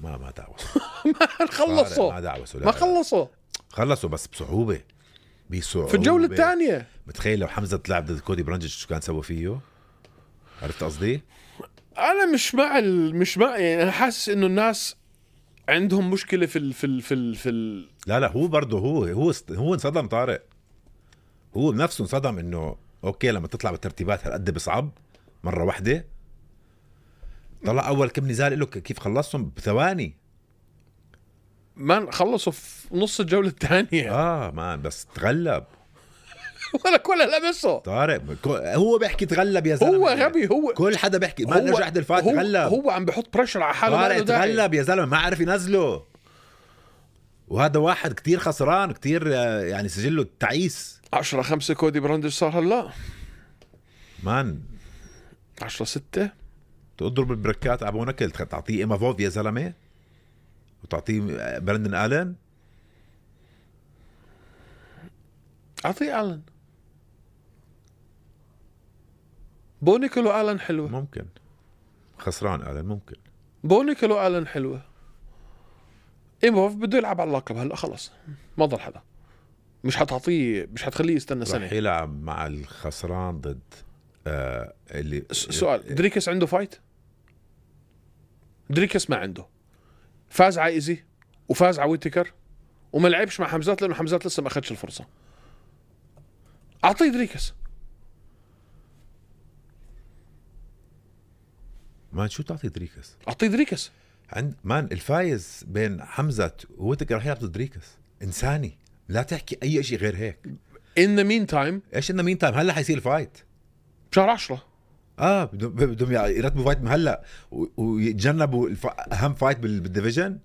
ما ما دعوس ما خلصوا ما دعوسوا. ما خلصوا خلصوا بس بصعوبة بصعوبة في الجولة الثانية. متخيل لو حمزة تلعب ضد كودي برانجيتش شو كان سوى فيه؟ عرفت قصدي؟ انا مش مع ال... مش مع يعني انا حاسس انه الناس عندهم مشكلة في ال... في ال... في ال... في ال... لا لا هو برضه هو هو است... هو انصدم طارق. هو بنفسه انصدم انه اوكي لما تطلع بالترتيبات هالقد بصعب مرة واحدة. طلع اول كم نزال له كيف خلصهم بثواني. ما خلصوا في نص الجولة الثانية. اه ما بس تغلب ولا ولا لمسه طارق. هو بيحكي تغلب يا زلمة. هو غبي. هو كل حدا بيحكي ما نرجع عند الفات هو تغلب. هو عم بحط بريشر على حاله. طارق تغلب يا زلمة، ما عرف ينزله. وهذا واحد كتير خسران كتير يعني سجله تعيس. عشرة خمسة كودي براندج صار هلا مان. عشرة ستة تضرب البركات على بونكل تعطيه إيما فوف يا زلمة وتعطيه براندن آلن. أعطيه آلن. بونيكل وآلن حلوة. ممكن خسران آلن ممكن. بونيكل وآلن حلوة. إيموف بده يلعب على اللقب هلا خلص ما ضل حدا. مش حتعطيه مش حتخليه يستنى سنة. رح يلعب مع الخسران ضد آه اللي سؤال دريكس عنده فايت؟ دريكس ما عنده. فاز على ايزي وفاز على ويتكر وما لعبش مع حمزات لانه حمزات لسه ما اخذش الفرصة. اعطيه دريكس. مان شو تعطي دريكس؟ اعطيه دريكس. عند مان الفايز بين حمزة وويتكر رح يلعب ضد دريكس. انساني لا تحكي اي شيء غير هيك. in the meantime ايش انه مين تايم هلا حيصير الفايت بشهر عشرة. اه بدهم بدهم يرتبوا فايت من هلا ويتجنبوا الف... اهم فايت بال... بالديفيجن.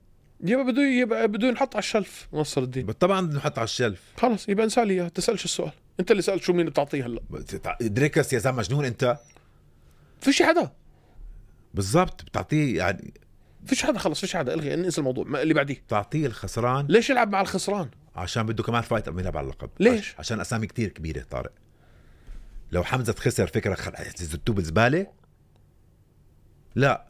يبقى بده يبقى بده ينحط على الشلف نصر الدين. طبعا بدهم نحط على الشلف. خلص يبقى انسى لي اياه. تسالش السؤال انت اللي سالت شو مين بتعطيه هلا. دريكس يا زلمه مجنون انت. فيش حدا بالضبط بتعطيه يعني. فيش حدا خلص فيش حدا الغي انسى الموضوع ما اللي بعديه. تعطيه الخسران. ليش يلعب مع الخسران؟ عشان بده كمان فايت قبل ما يلعب على اللقب. ليش؟ عشان اسامي كتير كبيره طارق. لو حمزه خسر فكره زتوه بالزباله. لا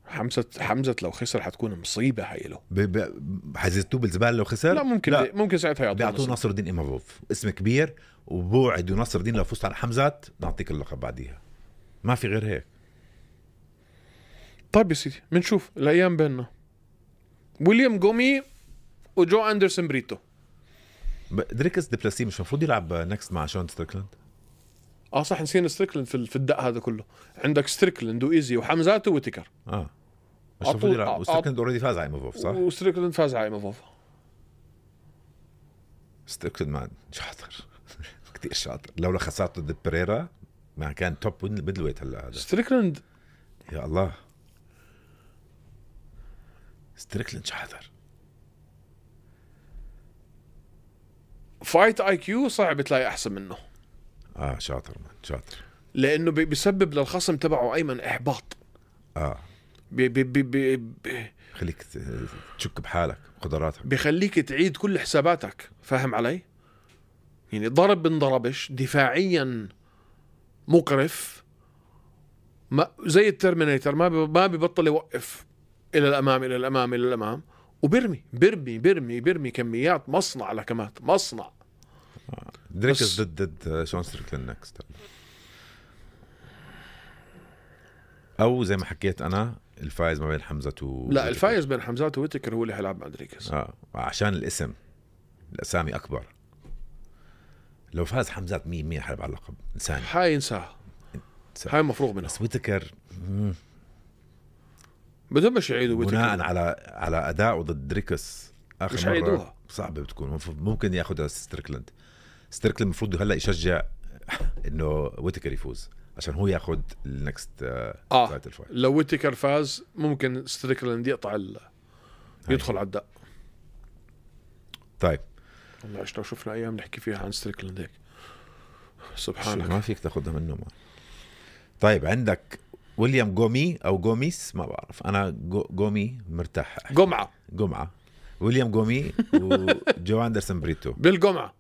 حمزه حمزه لو خسر حتكون مصيبه هاي له. ب... ب... حيزتوه بالزباله لو خسر. لا ممكن لا. ممكن ساعتها يعطوه بيعطوه نصر الدين إيمافوف اسم كبير وبوعدوا نصر الدين لو فزت على حمزات نعطيك اللقب بعديها. ما في غير هيك. طيب يا سيدي بنشوف الايام بيننا. ويليام جومي وجو اندرسون بريتو. دريكس دي بلاسي مش المفروض يلعب نكست مع شون ستريكلاند؟ اه صح نسينا ستريكلاند في في الدق هذا كله. عندك ستريكلاند وايزي وحمزات وويتكر. اه مش المفروض يلعب. وستريكلاند اوريدي فاز على إيمافوف صح؟ وستريكلاند فاز على إيمافوف. ستريكلاند مان شاطر كتير شاطر. لولا خسارته ضد بريرا ما كان توب بدلويت هلا هذا. ستريكلاند يا الله ستريكلاند شاطر. فايت اي كيو صعب تلاقي احسن منه. اه شاطر مان شاطر. لانه بيسبب للخصم تبعه ايمن احباط. اه بي بي بي بي بي خليك تشك بحالك قدراتك. بيخليك تعيد كل حساباتك. فاهم علي؟ يعني ضرب بنضربش دفاعيا مقرف ما زي الترمينيتر ما ما بيبطل يوقف الى الامام الى الامام الى الامام وبرمي برمي برمي برمي كميات مصنع لكمات مصنع. دريكس ضد ضد شون ستريكلاند نكست. او زي ما حكيت انا الفايز ما بين حمزة و لا الفايز بين حمزات وويتكر هو اللي حيلعب مع دريكس. اه عشان الاسم الاسامي اكبر. لو فاز حمزات مية مية حيلعب على اللقب انساني. هاي انساها. هاي مفروغ منها. بس ويتكر بدهم مش يعيدوا ويتكر بناء على على اداءه ضد دريكس اخر مش مرة هيعيدوها. صعبه بتكون. ممكن ياخذ ستريكلاند. ستريكلاند المفروض هلا يشجع انه ويتكر يفوز عشان هو ياخذ النكست اه لو ويتكر فاز ممكن ستريكلاند يقطع ال يدخل على الدق. طيب والله ايش لو شفنا ايام نحكي فيها عن ستريكلاند هيك شو سبحانك. ما فيك تاخدها منه ما. طيب عندك ويليام جومي او جوميس ما بعرف انا جو جومي مرتاح أحكي. جمعة جمعة ويليام جومي وجو اندرسون بريتو بالجمعة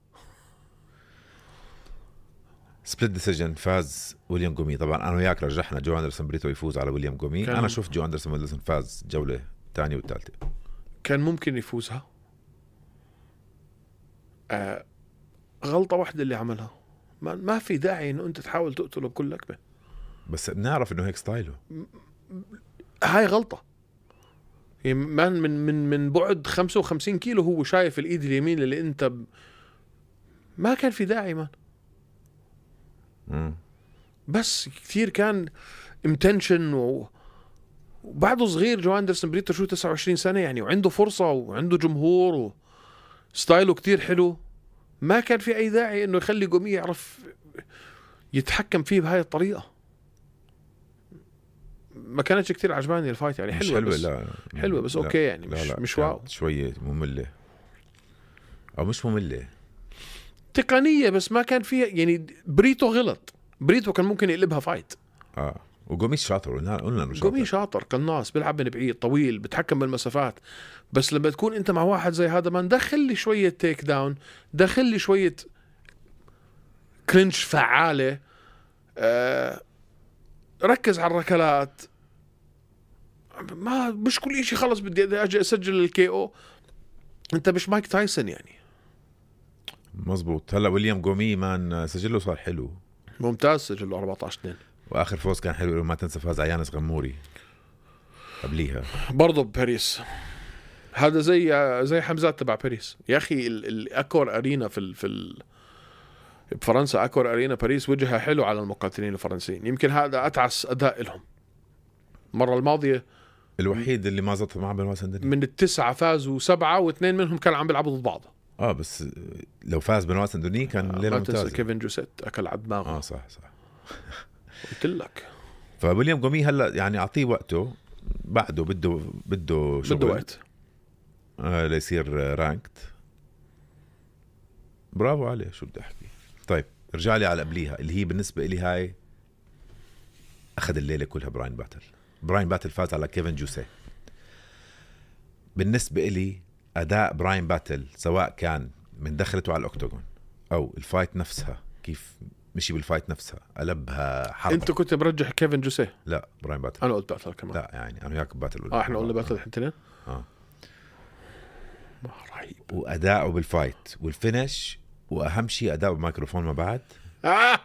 سبليت ديسيجن فاز ويليام جومي. طبعا انا وياك رجحنا جو اندرسون بريتو يفوز على ويليام جومي. كان- انا شفت جو اندرسون بريتو فاز جولة الثانية والثالثة. كان ممكن يفوزها. آه غلطة واحدة اللي عملها. ما, ما في داعي انه انت تحاول تقتله بكل لكمة. بس بنعرف انه هيك ستايله. هاي غلطة. يعني من من من من بعد خمسة وخمسين كيلو هو شايف الايد اليمين اللي انت ب... ما كان في داعي مان. مم. بس كثير كان امتنشن و... وبعده صغير جو اندرسون بريتو شو تسعة وعشرين سنة يعني وعنده فرصة وعنده جمهور وستايله كتير حلو. ما كان في اي داعي انه يخلي جومي يعرف يتحكم فيه بهاي الطريقة. ما كانتش كتير عجباني الفايت يعني. مش حلوة حلوة بس لا حلوة بس لا. اوكي يعني لا مش لا. مش واو. شوية مملة او مش مملة تقنية بس ما كان فيها يعني. بريتو غلط. بريتو كان ممكن يقلبها فايت. اه وجومي شاطر قلنا قلنا انه شاطر. جومي شاطر قناص بيلعب من بعيد طويل بتحكم بالمسافات. بس لما تكون انت مع واحد زي هذا ما دخل لي شوية تيك داون دخل لي شوية كلينش فعالة. آه ركز على الركلات. ما مش كل إشي خلص بدي اجي اسجل الكي او. انت مش مايك تايسون يعني. مزبوط. هلا ويليام جومي مان سجله صار حلو ممتاز سجله أربعة عشر اثنين. واخر فوز كان حلو. ما تنسى فاز عيانس غموري قبليها برضه بباريس. هذا زي زي حمزات تبع باريس يا اخي. الاكور ارينا في ال في ال بفرنسا. اكور ارينا باريس وجهها حلو على المقاتلين الفرنسيين. يمكن هذا اتعس اداء لهم. المره الماضيه الوحيد اللي ما زبط معه بنواس الدنيا. من التسعه فازوا سبعه واثنين منهم كانوا عم بيلعبوا ضد بعض. اه بس لو فاز بنواس الدنيا كان آه ليله ما تنسى ممتازه. كيفن جوسيت اكل على دماغه. اه صح صح. قلت لك. فويليام جومي هلا يعني اعطيه وقته. بعده بده بده شغل بده وقت آه ليصير رانكت. برافو عليه شو بدي احكي. طيب ارجع لي على قبليها اللي هي بالنسبه لي هاي اخذ الليله كلها. براين باتل. براين باتل فاز على كيفن جوسيه. بالنسبه لي اداء براين باتل سواء كان من دخلته على الاوكتاغون او الفايت نفسها كيف مشي بالفايت نفسها قلبها حرب. انت كنت مرجح كيفن جوسيه. لا براين باتل. انا قلت باتل كمان. لا يعني انا وياك باتل. اه احنا قلنا باتل الاثنين. اه رهيب. واداؤه بالفايت والفينش واهم شيء اداؤه بالميكروفون ما بعد.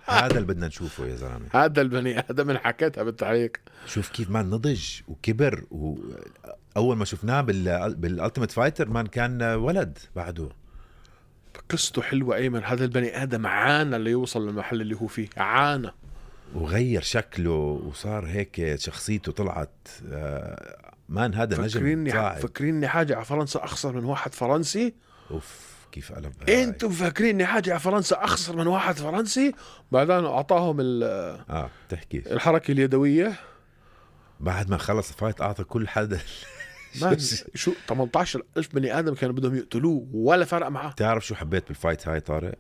هذا اللي بدنا نشوفه يا زلمه. هذا البني ادم من حكيتها بالتعليق. شوف كيف مان نضج وكبر. واول ما شفناه بال بالالتيميت فايتر مان كان ولد بعده. قصته حلوه ايمن. هذا البني ادم عانى ليوصل للمحل اللي هو فيه. عانى وغير شكله وصار هيك شخصيته طلعت. مان هذا نجم فكريني صاعد. فكريني حاجه على فرنسا اخسر من واحد فرنسي. اوف كيف قلب. انتم فاكريني حاجه على فرنسا اخسر من واحد فرنسي. بعدين اعطاهم اه تحكي الحركه اليدويه. بعد ما خلص الفايت اعطى كل حدا. شو ثمانية عشر ألف بني ادم كانوا بدهم يقتلوه ولا فرق معاه. تعرف شو حبيت بالفايت هاي طارق؟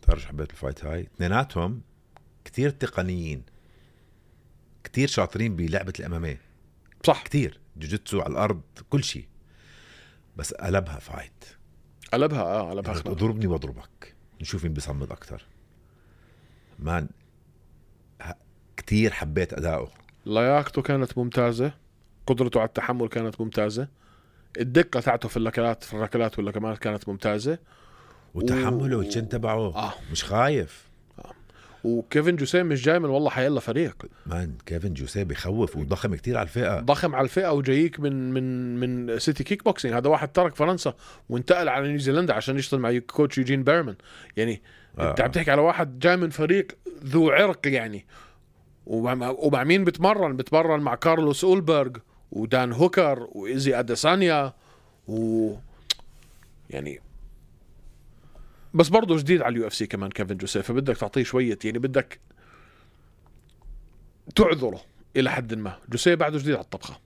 تعرف شو حبيت بالفايت هاي؟ اثنيناتهم كتير تقنيين كتير شاطرين بلعبة الامامية. صح كتير جوجيتسو على الارض كل شيء. بس قلبها فايت. قلبها اه قلبها خناق. اضربني واضربك نشوف مين بيصمد اكتر. مان كتير حبيت اداؤه. لياقته كانت ممتازه. قدرته على التحمل كانت ممتازه. الدقه تاعته في الركلات في الركلات واللكمات كانت ممتازه. وتحمله والجن تبعه آه. مش خايف. آه. وكيفن جوسيه مش جاي من والله حيلا فريق. مان كيفن جوسيه بخوف وضخم كتير على الفئة. ضخم على الفئة وجايك من من من سيتي كيك بوكسينج. هذا واحد ترك فرنسا وانتقل على نيوزيلندا عشان يشتغل مع كوتش يوجين بيرمان. يعني آه. انت عم تحكي على واحد جاي من فريق ذو عرق يعني. ومع, ومع مين بتمرن؟ بتمرن مع كارلوس أولبرغ ودان هوكر وإيزي أديسانيا و يعني. بس برضه جديد على اليو اف سي كمان كيفن جوسيه. فبدك تعطيه شوية يعني بدك تعذره إلى حد ما. جوسيه بعده جديد على الطبخة.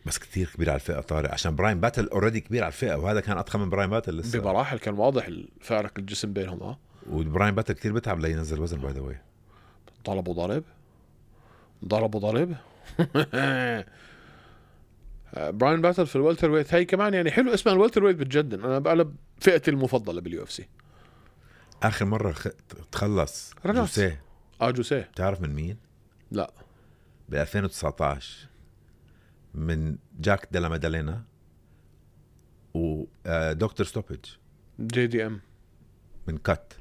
بس كتير كبير على الفئه طارق، عشان براين باتل اوريدي كبير على الفئه، وهذا كان اضخم من براين باتل لسه بمراحل. كان واضح الفارق الجسم بينهم. اه وبراين باتل كتير بتعب لينزل وزن باي ذا واي. ضربوا ضرب ضربوا ضرب براين باتل في الوالتر ويت هاي كمان يعني حلو اسمها الوالتر ويت بتجدن. انا بقلب فئتي المفضله باليو اف سي. اخر مره خ... تخلص رناس. جوسيه. اه جوسيه. بتعرف من مين؟ لا ب ألفين وتسعطعش من جاك ديلا مادالينا ودكتور ستوبيج. جي دي ام من كات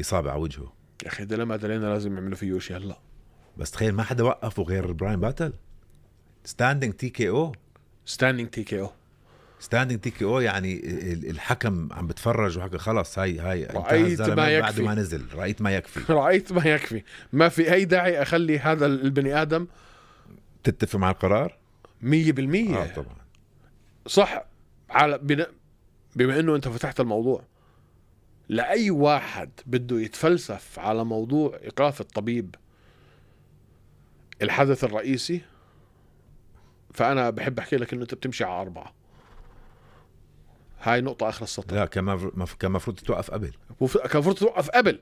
اصابه على وجهه. يا اخي ده لما دلينا لازم يعملوا فيه شيء هلا. بس تخيل ما حدا وقفه غير براين باتل. ستاندينج تي كي او. ستاندينج تي كي او. ستاندينج تي كي او يعني الحكم عم بتفرج وحكى خلص هاي هاي رأيت ما يكفي. بعد ما نزل رأيت ما يكفي. رأيت ما يكفي. ما في أي داعي أخلي هذا البني آدم. تتفق مع القرار مية بالمية. آه طبعا صح. على بنا... بما أنه أنت فتحت الموضوع، لأي واحد بده يتفلسف على موضوع إيقاف الطبيب الحدث الرئيسي، فأنا بحب أحكي لك أنه أنت بتمشي على أربعة. هاي نقطة آخر السطر. لا كان مف... كان مفروض توقف قبل. وف... كان مفروض توقف قبل.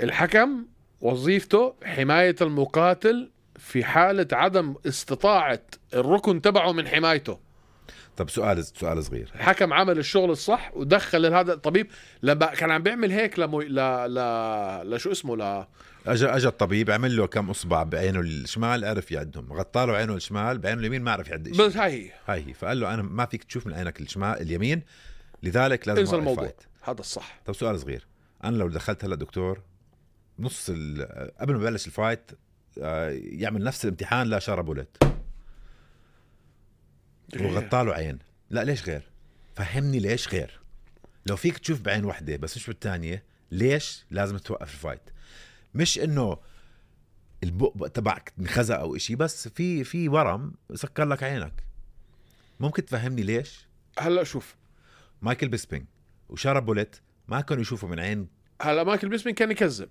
الحكم وظيفته حماية المقاتل في حالة عدم استطاعة الركن تبعه من حمايته. طب سؤال سؤال صغير. الحكم عمل الشغل الصح ودخل هذا الطبيب لما كان عم بيعمل هيك لمو... لا لا لا شو اسمه لا اجى اجى الطبيب عمل له كم اصبع بعينه الشمال عرف يعدهم، غطى له عينه الشمال بعينه اليمين ما عرف يعد شيء. بس هاي هي هاي هي فقال له انا ما فيك تشوف من عينك الشمال اليمين، لذلك لازم انسى اوقف الموضوع. فايت. هذا الصح. طب سؤال صغير، انا لو دخلت هلا دكتور نص قبل ما بلش الفايت يعمل نفس الامتحان لشارة بولت وغطى له عين، لا ليش غير؟ فهمني ليش غير؟ لو فيك تشوف بعين واحدة بس مش بالتانية ليش لازم توقف الفايت؟ مش انه البق تبعك انخزق او اشي، بس في في ورم سكر لك عينك. ممكن تفهمني ليش؟ هلا شوف مايكل بيسبينج وشارة بولت ما كانوا يشوفوا من عين. هلا مايكل بيسبينج كان يكذب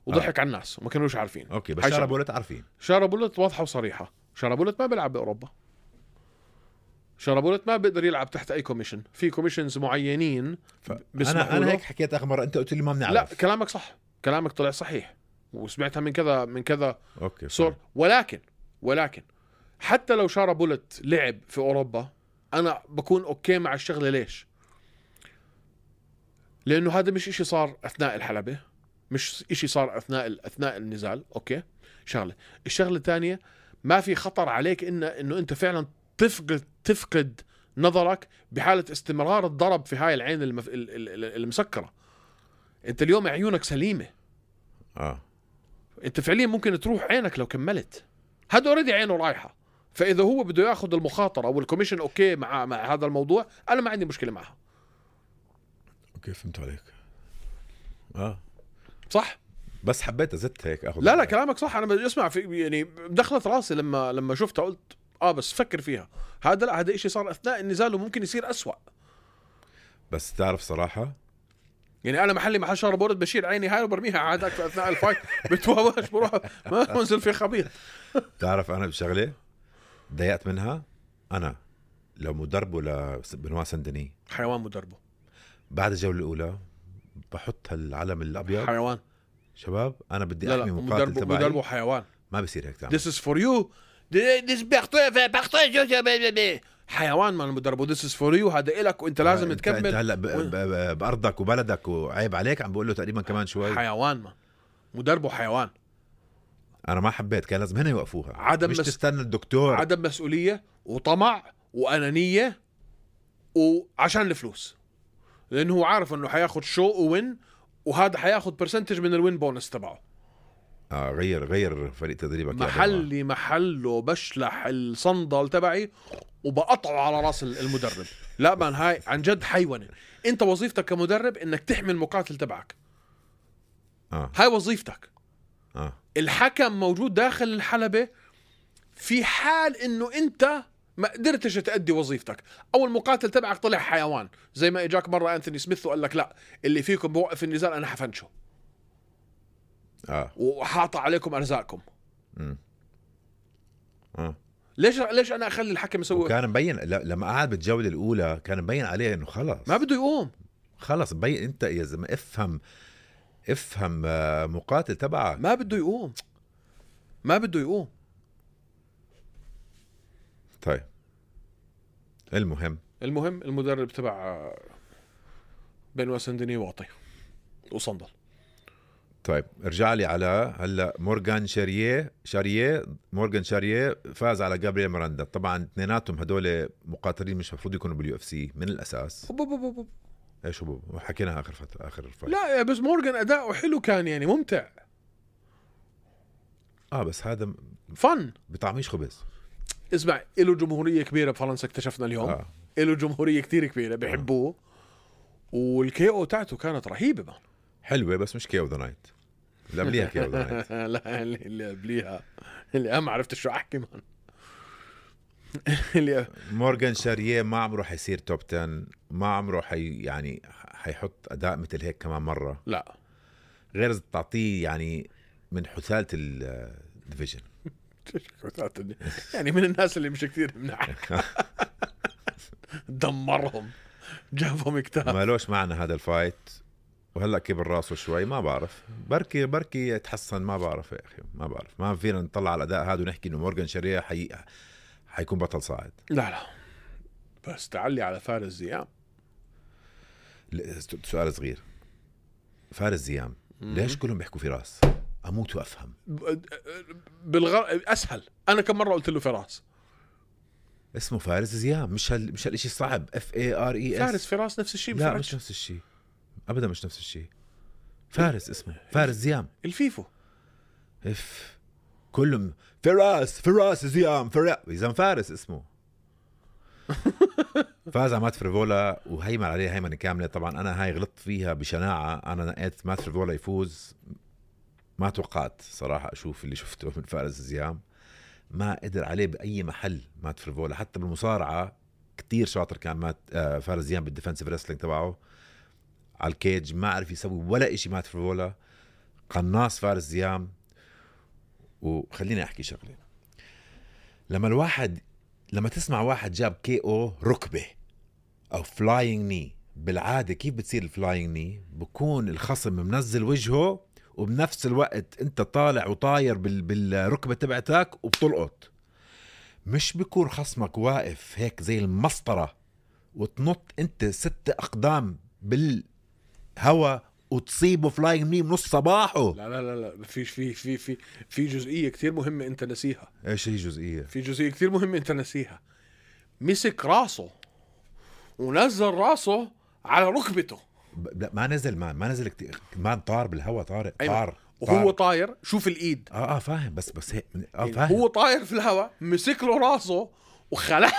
وضحك آه. على الناس وما كانوش عارفين. اوكي بس شارة بولت عارفين. شارة بولت واضحة وصريحة. شارة بولت ما بيلعب بأوروبا. شارة بولت ما بيقدر يلعب تحت اي كوميشن. في كوميشنز معينين ف... انا انا هيك حكيت اخر مرة، انت قلت لي ما بنعرف. لا كلامك صح، كلامك طلع صحيح وسمعتها من كذا من كذا اوكي صور. ولكن ولكن حتى لو شارة بولت لعب في اوروبا انا بكون اوكي مع الشغله. ليش؟ لانه هذا مش اشي صار اثناء الحلبة، مش اشي صار اثناء اثناء النزال. اوكي شغله. الشغله الثانيه ما في خطر عليك ان انه انت فعلا تفقد تفقد نظرك بحاله استمرار الضرب في هاي العين المف... المسكره. انت اليوم عيونك سليمه. اه انت فعليا ممكن تروح عينك لو كملت. هذا اوريدي عينه رايحه، فاذا هو بده ياخذ المخاطره او الكوميشن اوكي مع مع هذا الموضوع، انا ما عندي مشكله معها. اوكي فهمت عليك. اه صح. بس حبيت ازت هيك اخذ. لا لا كلامك صح. انا بدي اسمع في يعني دخلت راسي لما لما شفتها قلت اه بس فكر فيها. هذا لا هذا شيء صار اثناء النزال وممكن يصير أسوأ. بس تعرف صراحه يعني انا محلي محل شارة بولت بشيل عيني هاي وبرميها عادك في اثناء الفايت بتواواش بروح ما منزل في خبيط. تعرف انا بشغله ضايقت منها، انا لو مدربه لبنوا سندني حيوان مدربه بعد الجوله الاولى بحط هالعلم الابيض حيوان. شباب انا بدي لا احمي لا مقاتل مدربه تبعي. مدربه حيوان. ما بصير هيك تعمل. This is for you. This is حيوان ما مدربه. This is for you. هذا إلك وانت لازم انت تكمل. انت هلا ب... ب... بارضك وبلدك وعيب عليك عم بقول له تقريبا كمان شوي. حيوان ما مدربه حيوان. انا ما حبيت، كان لازم هنا يوقفوها. عدم مش مس... تستنى الدكتور. عدم مسؤولية وطمع وأنانية وعشان الفلوس، لأنه هو عارف انه حياخد شو وين، وهذا حياخد برسنتج من الوين بونس تبعه. اه غير غير فريق تدريبك. محلي محله بشلح الصندل تبعي وبقطعه على راس المدرب. لا مان هاي عن جد حيوانة. انت وظيفتك كمدرب انك تحمي المقاتل تبعك. آه. هاي وظيفتك. آه. الحكم موجود داخل الحلبة في حال انه انت ما قدرتش تأدي وظيفتك او المقاتل تبعك طلع حيوان، زي ما اجاك مرة أنثوني سميث وقال لك لا اللي فيكم بوقف النزال انا حفنشه اه وحاطع عليكم ارزاقكم. امم اه ليش ليش انا اخلي الحكم يسوي؟ كان مبين ل- لما قعد بالجوله الاولى كان مبين عليه انه خلص ما بده يقوم. خلص مبين. انت يا زلمه افهم افهم آه، مقاتل تبعك. ما بده يقوم ما بده يقوم. طيب المهم المهم المدرب تبع بين وسندني واطي وصندل. طيب ارجع لي على هلا مورغان شاريه شاريه مورغان شاريه فاز على جابرييل ميراندا. طبعا اثنيناتهم هدول مقاتلين مش المفروض يكونوا باليو اف سي من الاساس. أوب أوب أوب أوب. ايش هو حكيناها اخر فتره اخر الفايت. لا يا بس مورغان اداؤه حلو كان يعني ممتع. اه بس هذا م- فن. بطعميش خبز. اسمع له جمهورية كبيرة بفرنسا اكتشفنا اليوم. آه. له جمهورية كتير كبيرة بيحبوه. والكي او تاعته كانت رهيبة مان. حلوه بس مش كيو ذا نايت. اللي قبليها كيو ذا نايت. لا اللي اللي قبليها اللي انا ما عرفت شو احكي مان. اللي مورغان شاريه ما عمره حيصير توب عشرة. ما عمره حي يعني حيحط اداء مثل هيك كمان مره. لا غير إذا تعطيه يعني من حثالة الديفيجن. يعني من الناس اللي مش كثير مناح. دمرهم جابهم كتاب. ما لوش معنا هذا الفايت وهلا كبر راسه شوي ما بعرف. بركي بركي يتحسن ما بعرف يا اخي ما بعرف. ما فينا نطلع على الاداء هذا ونحكي انه مورغان شاريه حي... حيكون بطل صاعد. لا لا بس تعلي على فارس زيام. ل- سؤال صغير. فارس زيام ليش كلهم بيحكوا فراس؟ اموت وافهم. بالغر اسهل. انا كم مره قلت له فراس. اسمه فارس زيام مش هال... مش هالشيء صعب. اف اي ار اي اس. فارس فراس نفس الشيء. لا مش نفس الشيء ابدا مش نفس الشيء. فارس اسمه فارس زيام. الفيفو اف كلهم فراس فراس زيام فراس اذا فارس اسمه. فاز على مات فريفولا وهيمن عليه هيمنه كامله. طبعا انا هاي غلطت فيها بشناعه. انا نقيت مات فريفولا يفوز. ما توقعت صراحه اشوف اللي شفته من فارس زيام. ما قدر عليه باي محل مات فريفولا. حتى بالمصارعه كتير شاطر كان مات آه فارس زيام بالديفنسيف ريسلينج تبعه على الكيج. ما عرف يسوي ولا إشي مات فريفولا. قناص فارس زيام. وخليني احكي شغله. لما الواحد لما تسمع واحد جاب كي او ركبه او فلاينج ني بالعاده كيف بتصير الفلاينج ني؟ بكون الخصم منزل وجهه وبنفس الوقت انت طالع وطاير بال... بالركبه تبعتك وبتلقط. مش بيكون خصمك واقف هيك زي المسطره وتنط انت ست اقدام بالهوا وتصيبه فلاينج ني بنص صباحه. لا لا لا لا في في في في في جزئيه كثير مهمه انت نسيها. ايش هي جزئيه؟ في جزئيه كثير مهمه انت نسيها. مسك راسه ونزل راسه على ركبته. ب... لا ما نزل مان ما نزل كتير. مان طار بالهوا طارق أيوة. طار وهو طاير شوف الايد. اه اه فاهم بس بس هيك اه يعني فاهم. هو طاير في الهواء مسك له راسه وخلع.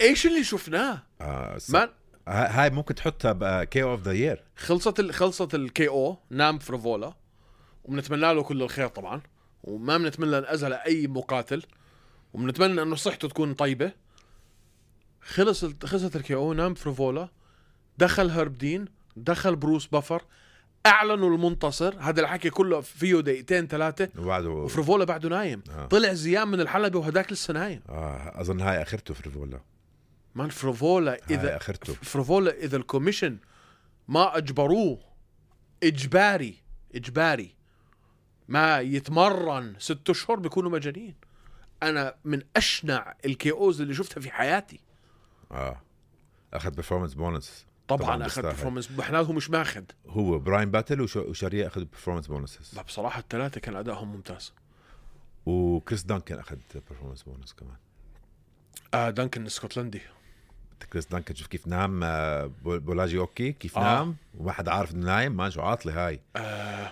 ايش اللي شفناه؟ آه س... مان هاي ممكن تحطها بكي اوف ذا يير. خلصت ال... خلصت الكي او نام فريفولا وبنتمنى له كل الخير طبعا. وما بنتمنى الاذى لاي مقاتل وبنتمنى انه صحته تكون طيبه. خلص خلصت الكي او نام فريفولا. دخل هرب دين دخل بروس بافر اعلنوا المنتصر. هذا الحكي كله فيه دقيقتين ثلاثه وبعده وفريفولا بعده نايم. آه. طلع زيام من الحلبة وهداك لسه نايم. آه اظن هاي اخرته فريفولا. مان فريفولا هاي اذا اخرته. فريفولا اذا الكوميشن ما اجبروه اجباري اجباري ما يتمرن ست اشهر بيكونوا مجانين. انا من اشنع الكي اوز اللي شفتها في حياتي. اه اخذ برفورمانس بونس. طبعا, طبعاً طبعا اخذ بيستاهل. برفورمانس. احنا مش ماخذ. هو براين باتل وش... وشاريه اخذ برفورمانس بونسز. بصراحه الثلاثه كان ادائهم ممتاز. وكريس دانكن اخذ برفورمانس بونس كمان. آه دانكن الاسكتلندي. كريس دانكن شوف كيف نام. آه بولاجي اوكي كيف آه. نام وما حدا عارف انه نايم. ما شو عاطله هاي. آه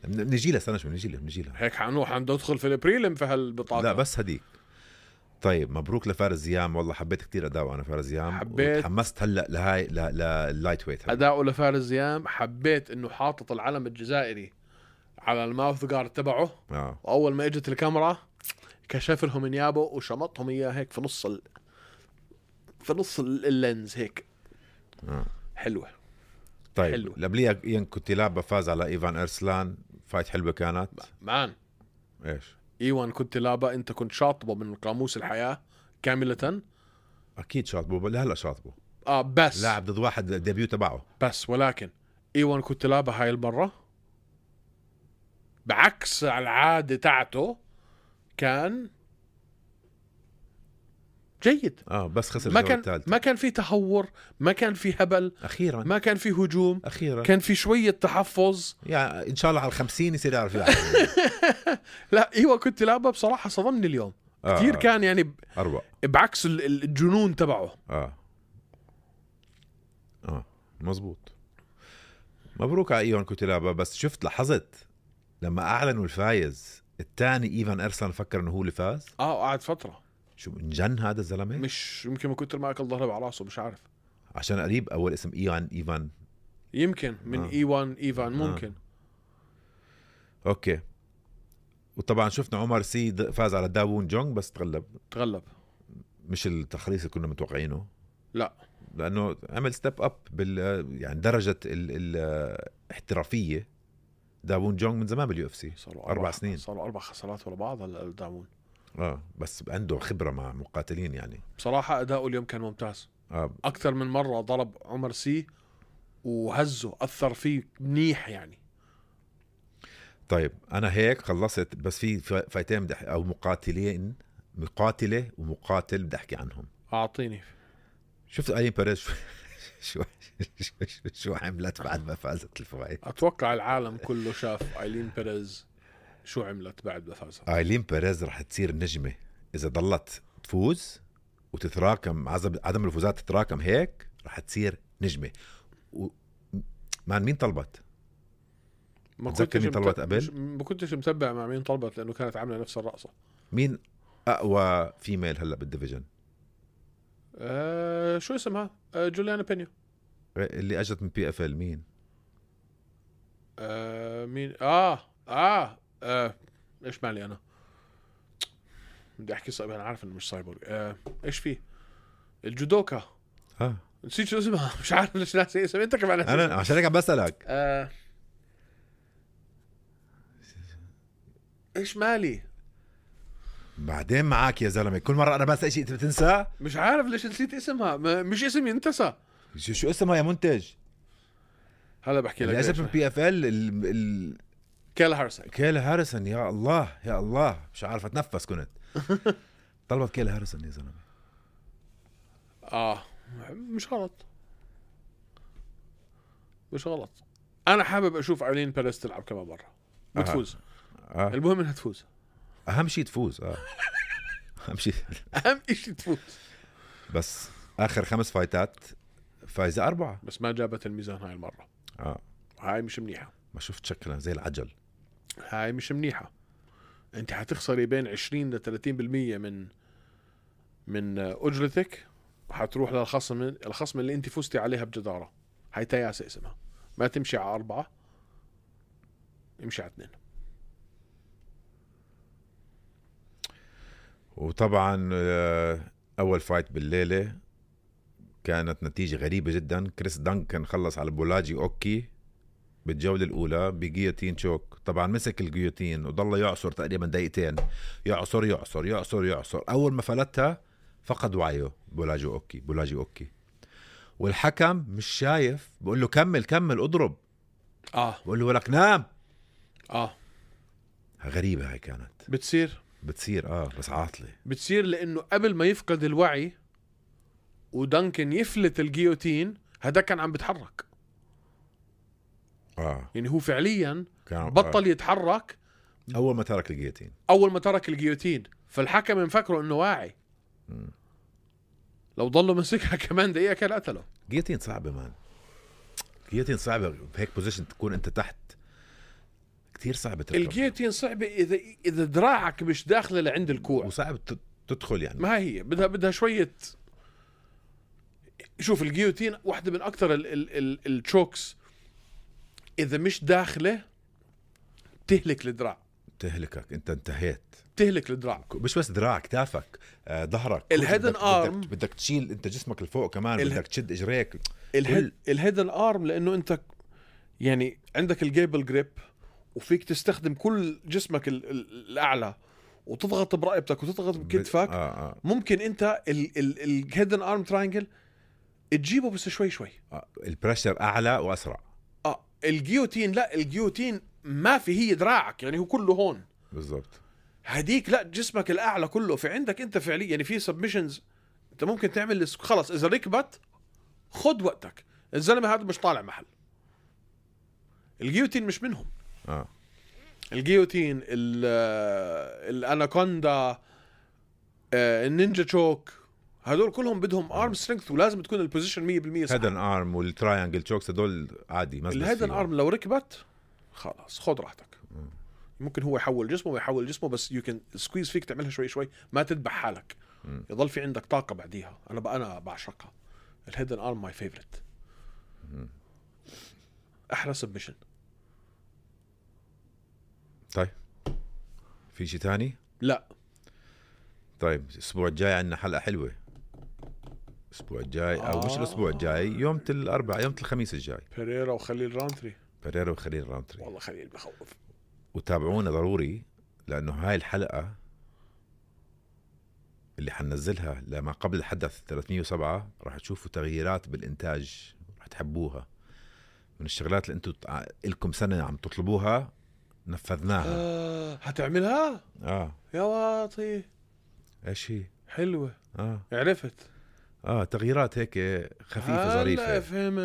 نجي لها استنى شو نجي لها نجي لها. هيك حنروح ندخل في البريلم في هالبطاقه. لا بس هديك. طيب مبروك لفارس زيام. والله حبيت كتير اداؤه انا فارس زيام. حبيت. وتحمست هلا لهاي لللايت ويت. اداؤه لفارس زيام. حبيت انه حاطط العلم الجزائري على الماوث جارد تبعه. اه واول ما اجت الكاميرا كشف لهم انيابه وشمطهم اياه هيك في نص ال... في نص اللينز هيك. اه حلوه. طيب حلو. لبليا ين كنت لعبة فاز على ايفان ارسلان. فايت حلوه كانت. مان ايش ايوان كنت لابا انت كنت شاطبه من قاموس الحياه كامله. اكيد شاطبه، لا هلا شاطبه. اه بس لاعب ضد واحد ديبيو تبعه. بس ولكن ايوان كنت لابا هاي المره بعكس العاده تاعته كان جيد. اه بس خسر ما الجوله كان الثالثه. ما كان في تهور، ما كان في هبل، اخيرا ما كان في هجوم، اخيرا كان في شويه تحفظ. يعني ان شاء الله على الخمسين يصير يعرف يلعب. لا ايوه كنت لعبه بصراحه صدمني اليوم آه كثير. آه. كان يعني ب- اروع. بعكس ال- الجنون تبعه. اه اه مزبوط. مبروك على ايوان كوتيلابا. بس شفت لاحظت لما اعلنوا الفايز الثاني ايفان ارسلان فكر انه هو اللي فاز. اه قعد فتره شو انجن هذا الزلمه؟ مش يمكن من كتر ما اكل ضرب على راسه مش عارف. عشان قريب اول اسم ايوان ايفان. يمكن من آه. ايوان ايفان ممكن. آه. اوكي. وطبعا شفنا عمر سي د- فاز على داوون جونغ بس تغلب. تغلب. مش التخليص اللي كنا متوقعينه، لا لانه عمل ستيب اب بال يعني درجه الاحترافيه. داوون جونغ من زمان باليو اف سي، صاروا اربع سنين. صاروا اربع خسارات ورا بعض هلا الداوون. اه بس عنده خبره مع مقاتلين يعني. بصراحه اداؤه اليوم كان ممتاز. اه اكثر من مره ضرب عمر سي وهزه اثر فيه منيح يعني. طيب انا هيك خلصت، بس في ف- فايتين بدي أحكي- او مقاتلين، مقاتله ومقاتل بدي احكي عنهم. اعطيني. شفت ايلين بيريز شو شو شو, شو, شو عملت بعد ما فازت الفايت؟ اتوقع العالم كله شاف ايلين بيريز شو عملت بعد ما فازها. ايلين بيريز رح تصير نجمه اذا ضلت تفوز وتتراكم، عزب- عدم الفوزات تتراكم هيك رح تصير نجمه. و... مان مين طلبت؟ ما تذكر مين طلبت قبل؟ مش- ما كنتش متبع مع مين طلبت لانه كانت عامله نفس الرقصه. مين اقوى فيميل هلا بالديفيجن؟ آه شو اسمها؟ آه جوليانا بينيو. اللي اجت من بي اف ال مين؟ آه مين؟ آه آه, آه. إيش مالي أنا؟ بدي أحكي صعب، أنا عارف إنه مش سايبورغ. آه إيش فيه؟ الجودوكا. ها نسيت شو اسمها. مش عارف ليش ناسي اسمها. أنت كمان ناسي انا اسمها. عشان هيك عم بسالك. آه. إيش مالي؟ بعدين معك يا زلمه، كل مره انا بسال شيء انت بتنسى. مش عارف ليش نسيت اسمها. ما مش اسمي انتسى. شو, شو اسمها يا منتج؟ هلا بحكي لك. اللي اجت ليش. من بي اف ال ال كيلا هارسون. كيلا هاريسون. يا الله يا الله مش عارف اتنفس كنت. طلبت كيلا هاريسون يا زلمه. آه مش غلط. مش غلط. أنا حابب أشوف ايلين بيريز تلعب كمان مرة بتفوز. آه. المهم إنها تفوز. اهم شيء تفوز. اه اهم شيء. أهم إشي تفوز. بس اخر خمس فايتات فايزه اربعه. بس ما جابت الميزان هاي المرة. اه هاي مش منيحة. ما شفت شكلها زي العجل. هاي مش منيحة. انت حتخسري بين عشرين ل ثلاثين بالمية من من اجرتك وحتروح للخصم الخصم اللي انت فزتي عليها بجدارة. هاي تياسة اسمها. ما تمشي على أربعة، امشي على اثنين. وطبعا آه، اول فايت بالليله كانت نتيجه غريبه جدا. كريس دانكن خلص على بولاجي اوكي بالجوله الاولى بجيوتين شوك. طبعا مسك الجيوتين وضل يعصر تقريبا دقيقتين، يعصر يعصر يعصر يعصر. اول ما فلتها فقد وعيه بولاجي اوكي بولاجي اوكي والحكم مش شايف، بقول له كمل كمل اضرب، اه بقول له ولك نام. اه غريبه هاي كانت بتصير بتصير. اه بس عاطله. بتصير لانه قبل ما يفقد الوعي ودانكن يفلت الجيوتين هذا كان عم بتحرك. اه يعني هو فعليا كان بطل يتحرك آه. اول ما ترك الجيوتين. اول ما ترك الجيوتين، فالحكم مفكره انه واعي. مم. لو ضلوا مسكها كمان دقيقه كان قتله. جيوتين صعبه مان. جيوتين صعبه بهيك بوزيشن تكون انت تحت، كتير صعبه تركب. الجيوتين صعبه اذا اذا دراعك مش داخله لعند الكوع. وصعب ت- تدخل يعني. ما هي بدها بدها شويه. شوف الجيوتين واحده من اكثر ال ال ال التشوكس اذا مش داخله تهلك الدراع. تهلكك انت، انتهيت. تهلك الدراع. مش بس دراعك، كتافك، آه، ظهرك. الهيدن بدك- آرم. بدك, بدك تشيل انت جسمك لفوق كمان. اله- بدك تشد اجريك. الهيد الهيدن ارم لانه انت يعني عندك الجيبل جريب وفيك تستخدم كل جسمك ال- ال- الاعلى وتضغط برقبتك وتضغط بكتفك. آه آه. ممكن انت الهيدن ارم تراينجل تجيبه بس شوي شوي. آه. البريشر اعلى واسرع. اه الجيوتين لا، الجيوتين ما في، هي دراعك يعني هو كله هون بالضبط. هديك لا، جسمك الاعلى كله في عندك انت فعليا. يعني في سبمشنز انت ممكن تعمل خلص اذا ركبت خد وقتك. الزلمه هذا مش طالع محل. الجيوتين مش منهم. اه الجيوتين، الاناكوندا، النينجا تشوك، هدول كلهم بدهم ارم سترينث ولازم تكون البوزيشن مية بالمية صح. هيدن ارم والتراينجل تشوكس هدول عادي. الهيدن ارم لو ركبت خلاص خد راحتك. ممكن هو يحول جسمه ويحول جسمه بس يو كان سكويز فيك تعملها شوي شوي، ما تذبح حالك. م. يضل في عندك طاقه بعديها. انا بقى انا بعشقها. الهيدن ارم ماي فيفورت. احلى سبمشن. طيب في شيء تاني؟ لا. طيب الاسبوع الجاي عندنا حلقه حلوه. الاسبوع الجاي او آه. مش الاسبوع الجاي، يوم الاربعاء، يوم الخميس الجاي. بيريرا وخليل راونتري. بيريرا وخليل راونتري. والله خليل بخوف. وتابعونا ضروري لانه هاي الحلقه اللي حننزلها لما قبل الحدث ثلاثمية وسبعة راح تشوفوا تغييرات بالانتاج، راح تحبوها. من الشغلات اللي انتم لكم سنه عم تطلبوها نفذناها. آه، هتعملها؟ اه يا واطي. ايش هي؟ حلوه. اه عرفت. اه تغييرات هيك خفيفه ظريفه. لا فهمت.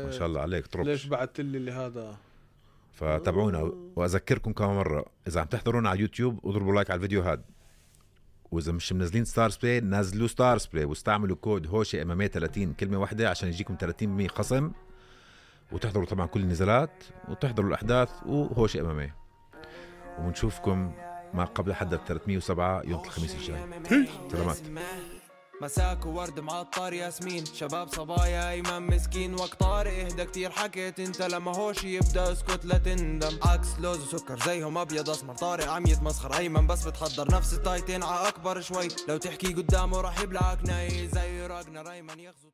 ما شاء الله عليك. طربش. ليش بعثت لي اللي هذا؟ فتابعونا. واذكركم كمان مره اذا عم تحضرونا على يوتيوب اضربوا لايك على الفيديو هذا، واذا مش منزلين ستارز بلاي نزلوا ستارز بلاي واستعملوا كود هوشي ام ام اي ثلاثين كلمه واحده عشان يجيكم ثلاثين بالمية خصم، وتحضروا طبعا كل النزالات وتحضروا الاحداث وهوشي ام ام اي. ونشوفكم ما قبل حدث ثلاثمية وسبعة يوم الخميس الجاي. سلامات. مساك وورد معطر ياسمين، شباب صبايا ايمن مسكين، وقت طارق اهدى كتير حكيت انت لما هوشي يبدا اسكت لا تندم. عكس لوز وسكر زيهم ابيض اسمر، طارق عم يتمسخر ايمن بس بتحضر نفس التايتين ع اكبر شوي، لو تحكي قدامه راح يبلعك ناي زي راجنر ايمن يغزو.